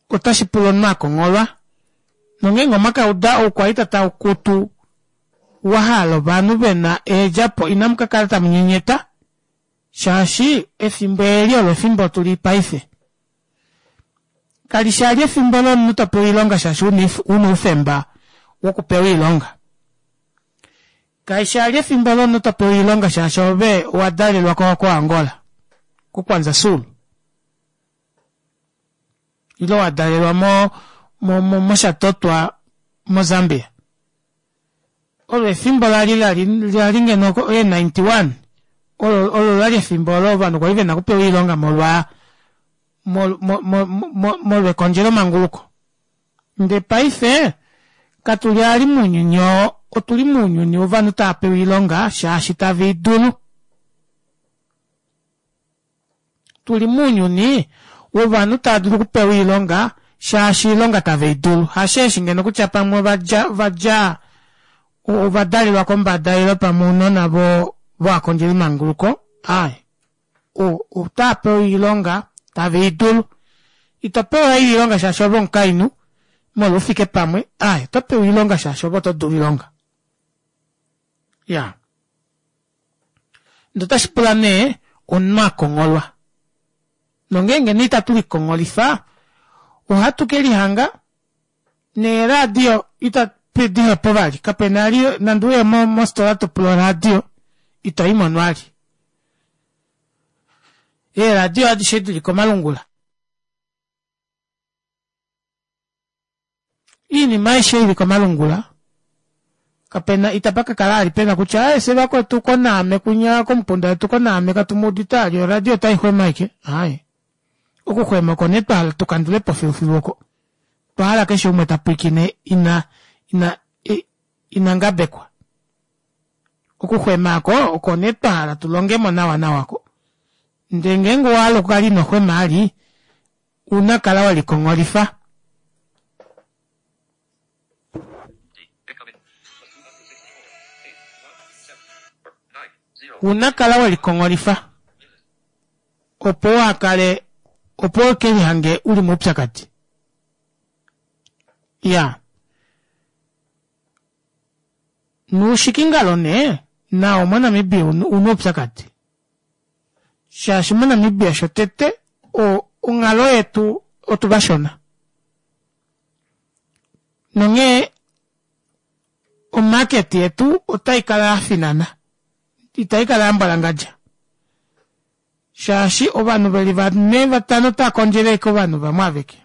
otashipula omunhu akongholwa Nongeenge omwakauda oukwaita tau kutu wahala ovanhu vena eedjapo inamu kakala tamu nyenyeta shaashi efimbo eli olo efimbo tuli paife. Kalishi ali efimbo lomunhu topewa oilonga shaashi una oufemba wokupewa oilonga. Kaishi ali efimbo lomunhu topewa oilonga shaashi ove owadalelwa ko Angola koKwanza Sul ile wadalelwa mo mo moshatotwa moZambia. Olo efimbo lali lali lali ngeno e ninety one olo olo lali efimbo olo ovanhu kwali vena okupewa oilonga molwa molwekondjelo manguluko. Ndee paife katuli ali mounyuni oo, otuli mounyuni wovanhu tava pewa oilonga shaashi tave idulu. Tuli mounyuni wovanhu tava dulu okupewa oilonga shaashi oilonga tave idulu. Hasheeshi ngeno kutya pamwe ovadja ovadja ovadalelwa kombada ile pamwe ounona vo voakondjeli manguluko aye otava pewa oilonga tave idulu. Ito pewa oilonga shaashi ove omukainhu molwa ufike pamwe aye oto pewa oilonga shaashi ove oto dulu oilonga. Ya ndee otashi pula nee omunhu akongholwa. Nongeenge nee itatu likongolifa ohatu kelihanga neeradio ita dihepo vali kapena ali nande uye mofitola topula oradio ito imono vali. Eeradio adishe dili komalungula. Iinima aishe ili komalungula kapena itapa kakala ali pena kutya aye fye vakwetu konaame kwinya komukunda wetu konaame katumuudite ali oradio otaixwema ashike aaye okuxwema oko nee twahala tukandulepo filufilu oko otwahala keshe umwe tapwilikine ina ina ina ngabekwa. Okuxwema oko oko nee twahala tulongemo nawa nawa ko. Ndee ngeenge owahala okukala ino xwema ali una kala welikongolifa. Una kala welikongolifa opo wakale opo ukelihange uli moupyakadi. Iya noushikingalo nee nao moNamibia una oupyakadi shaashi moNamibia shotete onghalo yetu otuvashona nonghee omarket yetu otaikala yafinana itaikala yambwalangadja shaashi ovanhu veli vane vatano otava kondjele ashike ovanhu vamwe aveke.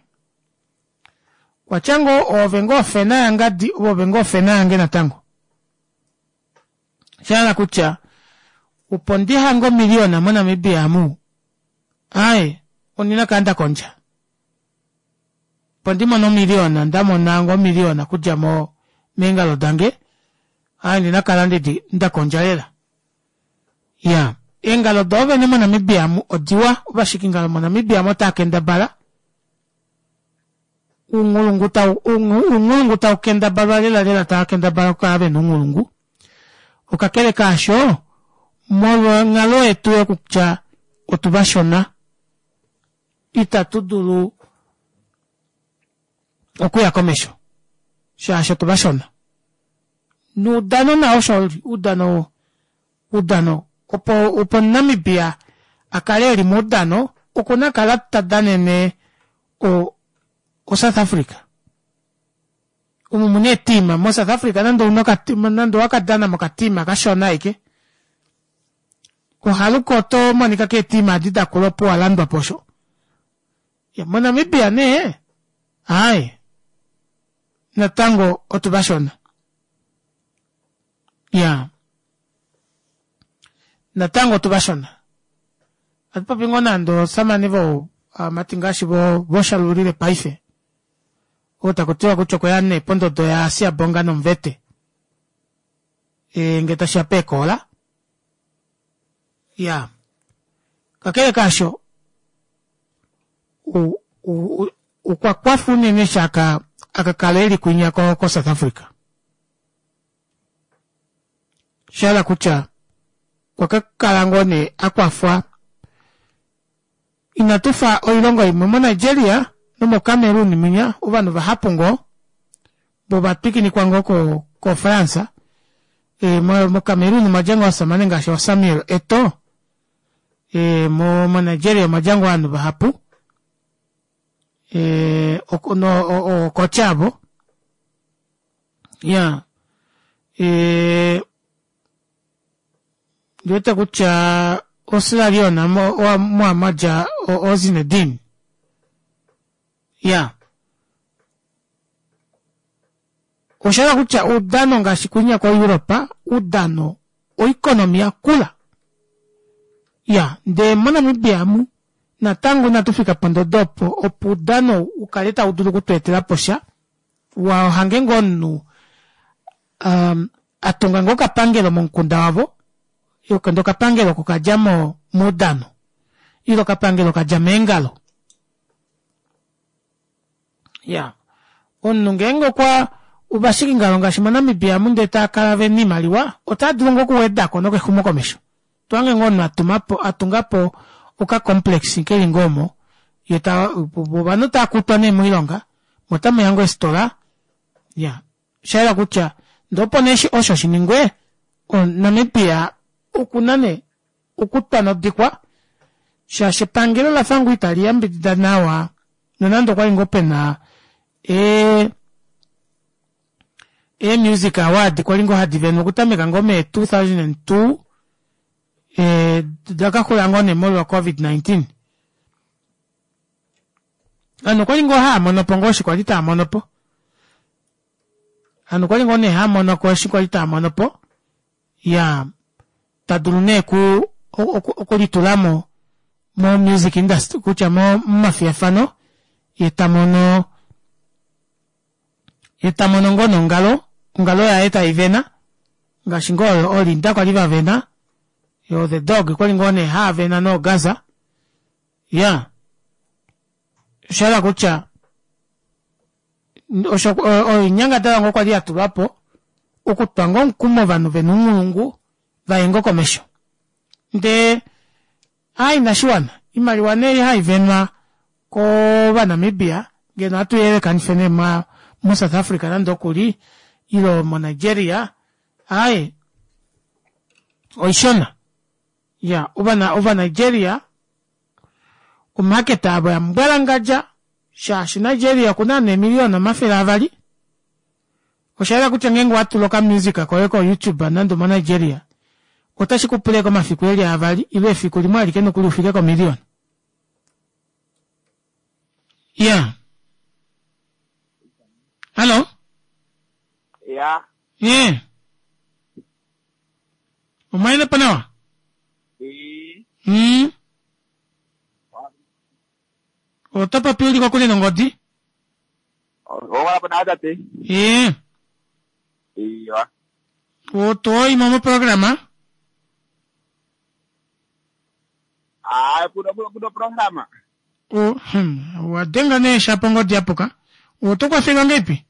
Watya ngoo oove ngoo ofena yangadi ove ngoo ofena yange natango. Oshahala kutya opo ndihange omiliyona moNamibia amu aaye ondina okukala ndakondja. Opo ndimone omiliyona ndamona ngoo omiliyona okudja mo meengalo dange aaye ondina okukala ndakondja lela. Iya eengalo doovene moNamibia amu odiwa ovashikingalo moNamibia amu otava kendabala ounghulungu tau ounghulungu tau kendabalwa lela lela tava kendabala okukala vena ounghulungu. Okakele kaasho molwa onghalo yetu yokutya otuvashona itatu dulu okuya komesho shaashi otuvashona. Noudano nao osho uli oudano oudano opo opo omuNamibia akale eli moudano okuna okukala tadanene o o South Africa. Omu muna eetima mo South Africa nande ouna okatima nande owakadana mokatima kashona ashike ohaluka oto monika keetima edi dakula opo walandwapo osho. MoNamibia nee aaye natango otuvashona. Iyaa natango otuvashona. Ohatupopi ngoo nande ovasamane vo ovamati ngaashi voshalulile paife oo takutiwa kutya okweya nee pondodo ya Siyabonga Nomvete e, ngee tashiya peekoola. Iyaa kakele kaasho okwa kwafa unene eshi aka akakala eli kwinya ko, ko South Africa. Oshahala kutya okwa kakala ngoo nee akwafwa inatufa oilongo imwe mo Nigeria nomo Cameroon mwinya ovanhu vahapu ngoo Bovatwikinikwa ngoo ko ko France e, mo, mo Cameroon omwa dja ngoo ovasamane ngaashi Samuel Eto'o e, mo, mo Nigeria omwa dja ngoo ovanhu vahapu e, no, okocha avo ya e, ndiwete kutya oSierra Leone mo mwadja oZinedine ya oshahala kutya oudano ngaashi kwinya koEuropa oudano oeconomy yakula ya ndee moNamibia mu natango inatu fika pondodo opo opo oudano ukale tau dulu okutweetela po sha wahange ngoo omunhu um, atunga ngoo okapangelo momukunda wavo ndee okapangelo oko kadja mo moudano ile okapangelo kadja meengalo ya omunhu ngeenge okwa ovashikingalo ngaashi moNamibia amu ndee taakala vena oimaliwa otaa dulu ngoo okuwedako nokexumo komesho twange ngoo omunhu atumapo atungapo oka complex keli ngoo omo yeta ovanhu taakutwa nee moilonga otamuya ngoo eefitola ya oshayela kutya ndee opo nee osho shiningwe Namibia okuna nee okutwa nodikwa shaashi epangelo lafa ngoo itali yambidida nawa nonande okwali ngoo pena ee ee music award kwali ngoo hadi venwa okutameka ngoo mee two thousand and two ee dakaxula ngoo nee molwa covid nineteen ovanhu okwali ngoo haamonopo ngoo eshi kwali taamonopo ovanhu okwali ngoo nee haamonoko eshi kwali taamonopo ya tadulu nee ku okulitulamo mo music industry kutya momafiyafano ye tamono ye tamono ngoo nongalo ongalo yaye taivena ngaashi ngoo olinda kwali vavena yo the dog kwali ngoo nee haavena noogaza ya oshahala kutya osho oinyangadalwa ngoo kwali yatulwapo okutwa ngoo omukumo ovanhu vena ounghulungu vaye ngoo komesho ndee aa inashiwana oimaliwa nee haivenwa kovanamibia ngeno ohatu yelekanife nee mo South Africa nande okuli ile mo Nigeria aaye oishona ya ovana ova Nigeria omarket avo yambwalangadja shaashi Nigeria okuna ovanhu eemiliyona omafele avali oshayela kutya ngeenge owatula okamusic koye ko YouTube nande omo Nigeria otashi kupula ashike omafiku eli avali ile efiku limwe alike nokuli ufike komiliyona ya hallo Ya. ye omwaile po nawa E. mm. oto popi uli kokule nongodi Owala po na tate. ye Iya. otoyimo moprograma Ah, kuno kuno kuno programa. o hmm, wadenga nee shapo ongodi yapuka oto kwafelwa ngeipi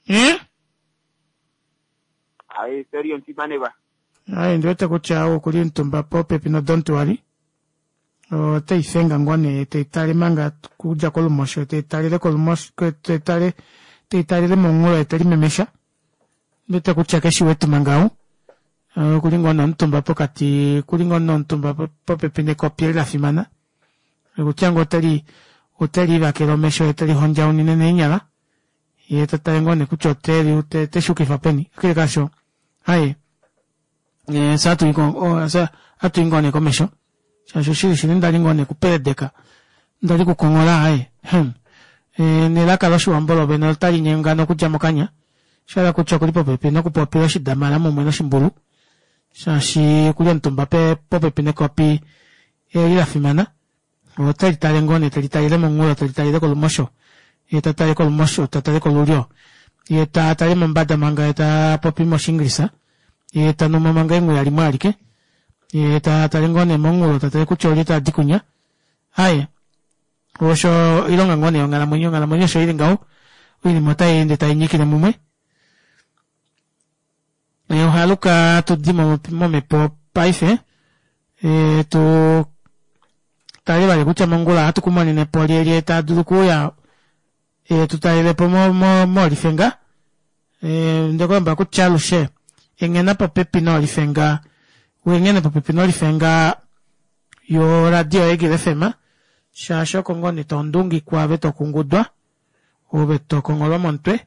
ye Ai, serio msimaneva. Ai ndiwete kutya okuli omutumba popepi no don't worry oteifenga ngoo nee teitale manga kudja kolumosho teitalele kolumosho teitale teitalele momunghulo yetelimemesha ndiwete kutya keshiwete manga ou okuli ngoo nomutumba pokati okuli ngoo nomutumba popepi nekopi eli lafimana kutya ngoo oteli otelivakele omesho ye telihondjaunine neenyala yee tatale ngoo nee kutya oteli oteshukifa peni kakele kaasho aaye fye atuyi ngoo nee komesho shaashi oshili shili ndali ngoo nee kupeledeka ndali kukonghola aaye hmm. Nelaka loshiwambo lovene otali nyengana okudja mokanya oshahala kutya okuli popepi nokupopila oshidamala mumwe noshimbulu shaashi okuli omutumba popepi nekopi eli lafimana oteli tale ngoo nee teli talele momunghulo teli talele kolumosho yee tatale kolumosho tatale kolulyo yee tatale mombada manga yee tapopi moshinglisa yee tanumo manga enghuya limwe alike yee tatale ngoo nee momunghulo tatale kutya olye tadi kwinya aaye osho oilonga ngoo nee yonghalamwenyo onghalamwenyo osho ili ngaho oinima otayeende tainyikile mumwe ohaluka hatudi momhepo paife e, tu tale vali kutya mongula ohatu kumonene po lyelye taa dulu okuuya e tu talele po moolifenga. Ndekulomba kutya alushe enghena popepi noolifenga uenghene popepi nolifenga yo radio Eagle F M shaashi oko ngoo nee tondungikwa ove tokungudwa ove tokongolwa momutwe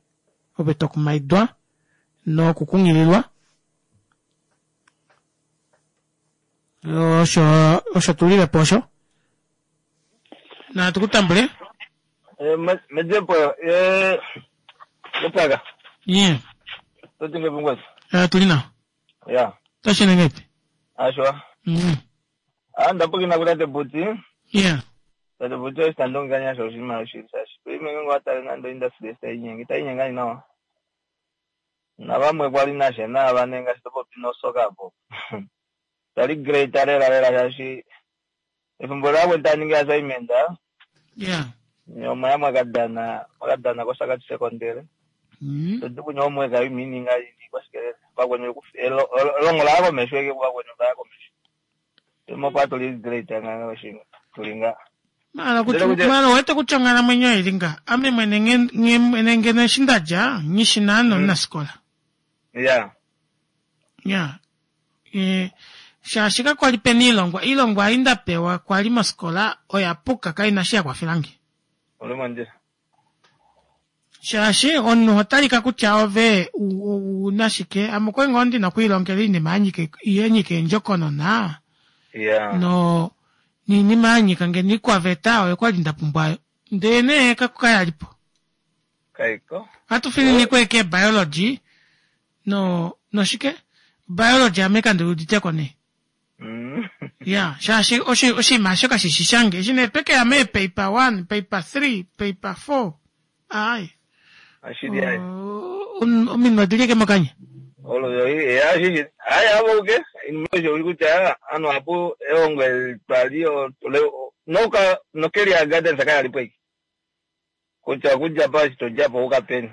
ove tokumaidwa nokukunghililwa osho osho tulilepo osho na tukutambule mejepo eh lepaka yeah totinge bungwazi eh tulina ya tashinengeti ashwa mm ah ndapokina kutate buti yeah tate buti ositandonganya sho oshinima oshisashi kuime ngo atale nando industry estayinyenge itayinyengani nawa navamwe kwali nashe navanenga shitopopi nosoka apo tali great lela lela shashi efimbo lakwe taningi assignment yeah nyoma yamwakadana mwakadana kosakati secondary mm todi omweka imininga ini kwashikelele vakwenye elongo laya komesho eke vakwenye vaya komesho imopa tuli great nganga oshinga tulinga mala kuti mala wete kutya onghalamwenyo ilinga ame mwene mwene ngeno eshi ndadja nghishina nomunasikola yeah yeah e shaashi kakwali pena iilongwa iilongwa ai ndapewa kwali mosikola oya puka kaina shi yakwafelange uli shaashi omunhu otalika kutya ove una shike ame okwali ngoo ndina okwiilongela iinima yanyika yenyika endjokonona yeah no niinima yanyika ngeno ikwaveta oyo kwali ndapumbwayo ndele nee kayalipo kaiko ohatu fininikwa eke biology no noshike biology ame kandiuditeko nee mm ya shaashi oshinima osho kashishi shange eshi nee twekeya mee paper one paper three paper four ai ashili ai ominwe odili eke mokanya olo ya shishi ai avo ke inosho uli kutya anu apo eongo twali noka nokelia garden sakayalipo iki kutya kudja pa shitojapo ukapeni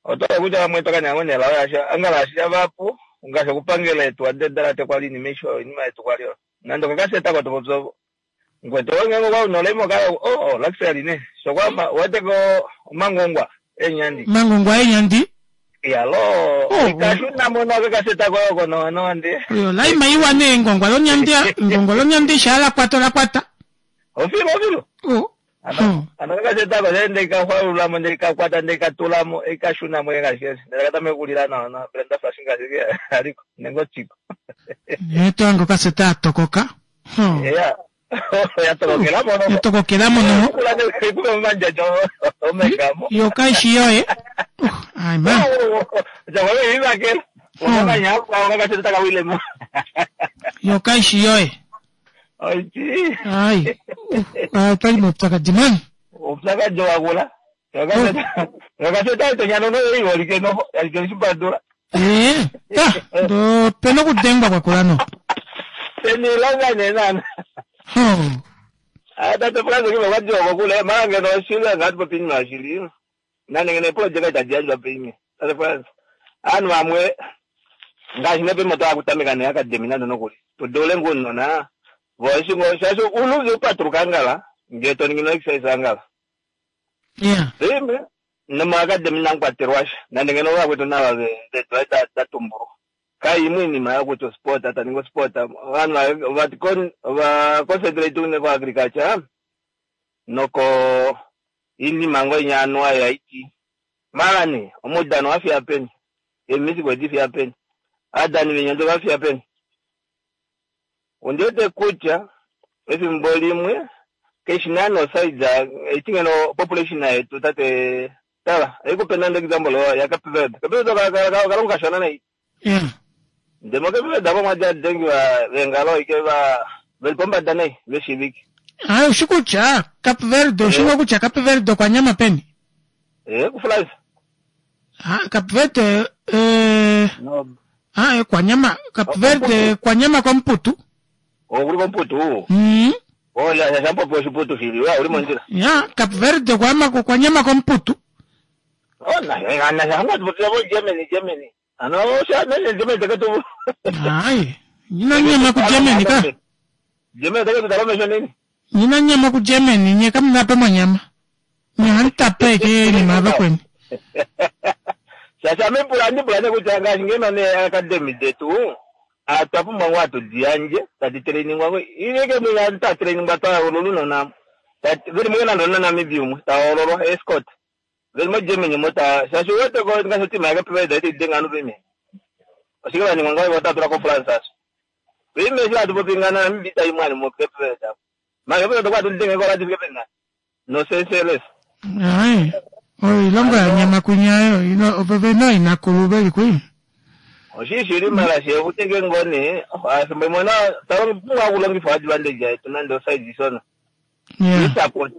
otoka kutya vamwe twakanyang'onela oyasha angala asha vapo ngasho kupangela etu adedalate kwali nimesho inima yetu kwali nando kakaseta kwatopopso ngweto ngengo kwa unolemo kala oh luxury ne so kwa wateko mangongwa enyandi mangongwa enyandi yalo ikashuna mona kakaseta kwa kono no andi yo laima iwa ne ngongwa lonyandi ngongwa lonyandi shala kwata la kwata ofilo ofilo oh ano ano kakaseta kwa ndende ikahwalulamo ndende ikakwata ndende ikatulamo ikashunamo ngashese ndele katamekulila na na Brenda Fassie ngashike aliko nengo chiko neto kaseta atokoka yeah yatokokela mono yatokokela mono kume manjajo omekamo yo kaishi yoye ai ma jawe ibakela okanya kwa kaseta kawilemo yo kaishi yoye oiti ai pali mupyakadi mani upyakadi wakula kakaseta tonyano no iholike no yalikele shimbadula eh ta ndo pena okudengwa kwakula no penilonga nenana Hmm. Tate Francis kime kwadiwa kokule mara ngeno shile ngati popini mashili nane ngene project itajianjwa pini Tate Francis anu amwe ngashi nepe moto akutamika ne academy nando nokuli tudole nguno na voice ngo shasho uluzi upatruka ngala ngeto ngino exercise angala yeah ime noma academy nangwatirwasha nande ngeno vakwetu nava ve tatumburu kaimwe inima yakuti sport ata ningo sport vanhu vati va concentrate une ko agriculture noko inima ngo inyanwa yaiti mara ne omudano wafiya peni emisiko edifiya peni adani venyando vafiya peni undete kutya efimbo limwe keshinano size etingeno population yetu tate tala ikupe example ya Cape Verde Cape Verde kalonga kashona nei yeah ndemo Cape Verde abo mwaja dengi va vengalo ike va velipombada nei veshiviki ayi ushikutya Cape Verde ushingo kutya Cape Verde kwa nyama peni eh kufulaisa ah Cape Verde eh no ah kwa nyama Cape Verde kwa nyama kwa mputu okuli kwa mputu mm oh ya ya shampo oshiputu shili wa uli monjira ya Cape Verde kwa ma kwa nyama kwa mputu oh na na na hanga tupo Germany Germany ano osha na Germany takato ai nina nyama ku Germany ka Germany otake tu tala omesho nini Nyina nyama ku Germany nye kamu pe monyama. Nye hamu tape eke inima vakweni. Shaashi ame pula andi pula nee kutya ngaashi ngeno nee academy detu atwa pumbwa ngoo atu diyandje tadi trainingwa ngo ileke mwinya ta trainingwa twahoololwa unona veli mo nande ona Namibia umwe tahoololwa escort veli mo Germany mo ta shaashi uwete ko ngaashi otima yake peveda iti denga anu pime oshike vaningwa ngao otatula ko France aso pime eshi hatu popi ngana Namibia itayi mwani mo Cape Verde ma Cape Verde kwatu denge ko lati Cape Verde no senseless Ai. Oilongo ya nyama kunyayo ino oveve no inakulu veli kwi. oshishili mala shekutenge ngoni afimbo imwe na talonga kulongifa advantage yetu nande oside isona Yeah. isupport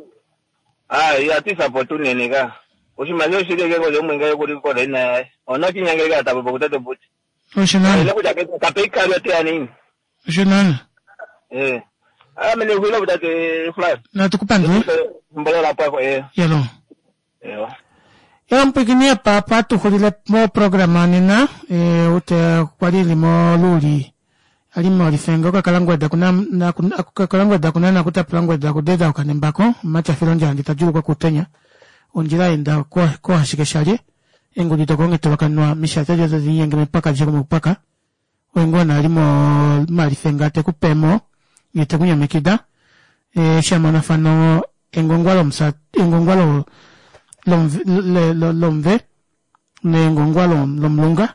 ah ya ti support unene ka oshimaliwa oshili ke ngoje omwenga kuli kola ina yaye ona kinyangele ka tapo kutete buti Oshinana. ile kuja ke kape ikali te anini Oshinana. eh ah mene kuilo butate fly Natukupandula. mbolela pako eh Yalo. eh Yalo mpwikini papa tuhulile mo programa nena e, ute kwali limo luli alimo lifenga okakalangweda kuna na okakalangweda kuna na kutapulangweda kudeda okanembako machafilo ndjandi tajulukwa kutenya ondjila enda ko ko hashike shalye engudi tokonge tolokanwa mishata jozo zinyenge mipaka jeko mupaka wengona alimo malifenga tekupemo yetekunyamikida e, shamonafano engongwalo msa engongwalo lomve le- lo- lomve nengongwa lom- lomulunga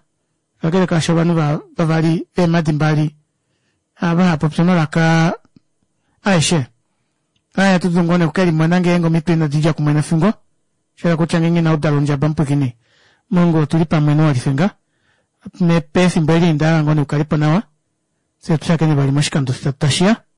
kakele kaasho ovanhu va- vavali veemadi mbali ava hapopya omalaka aeshe aya atu ngoo nee okukelimona ngeenge omitwe inadi dja kumwe nefingo shela kutya ngeenge inaudala ondjaba mupwikini mongo otuli pamwe nowalifenga pefimbo eli indaala ngoo nee ukalipo nawa fye tushakene vali moshikando tashiya.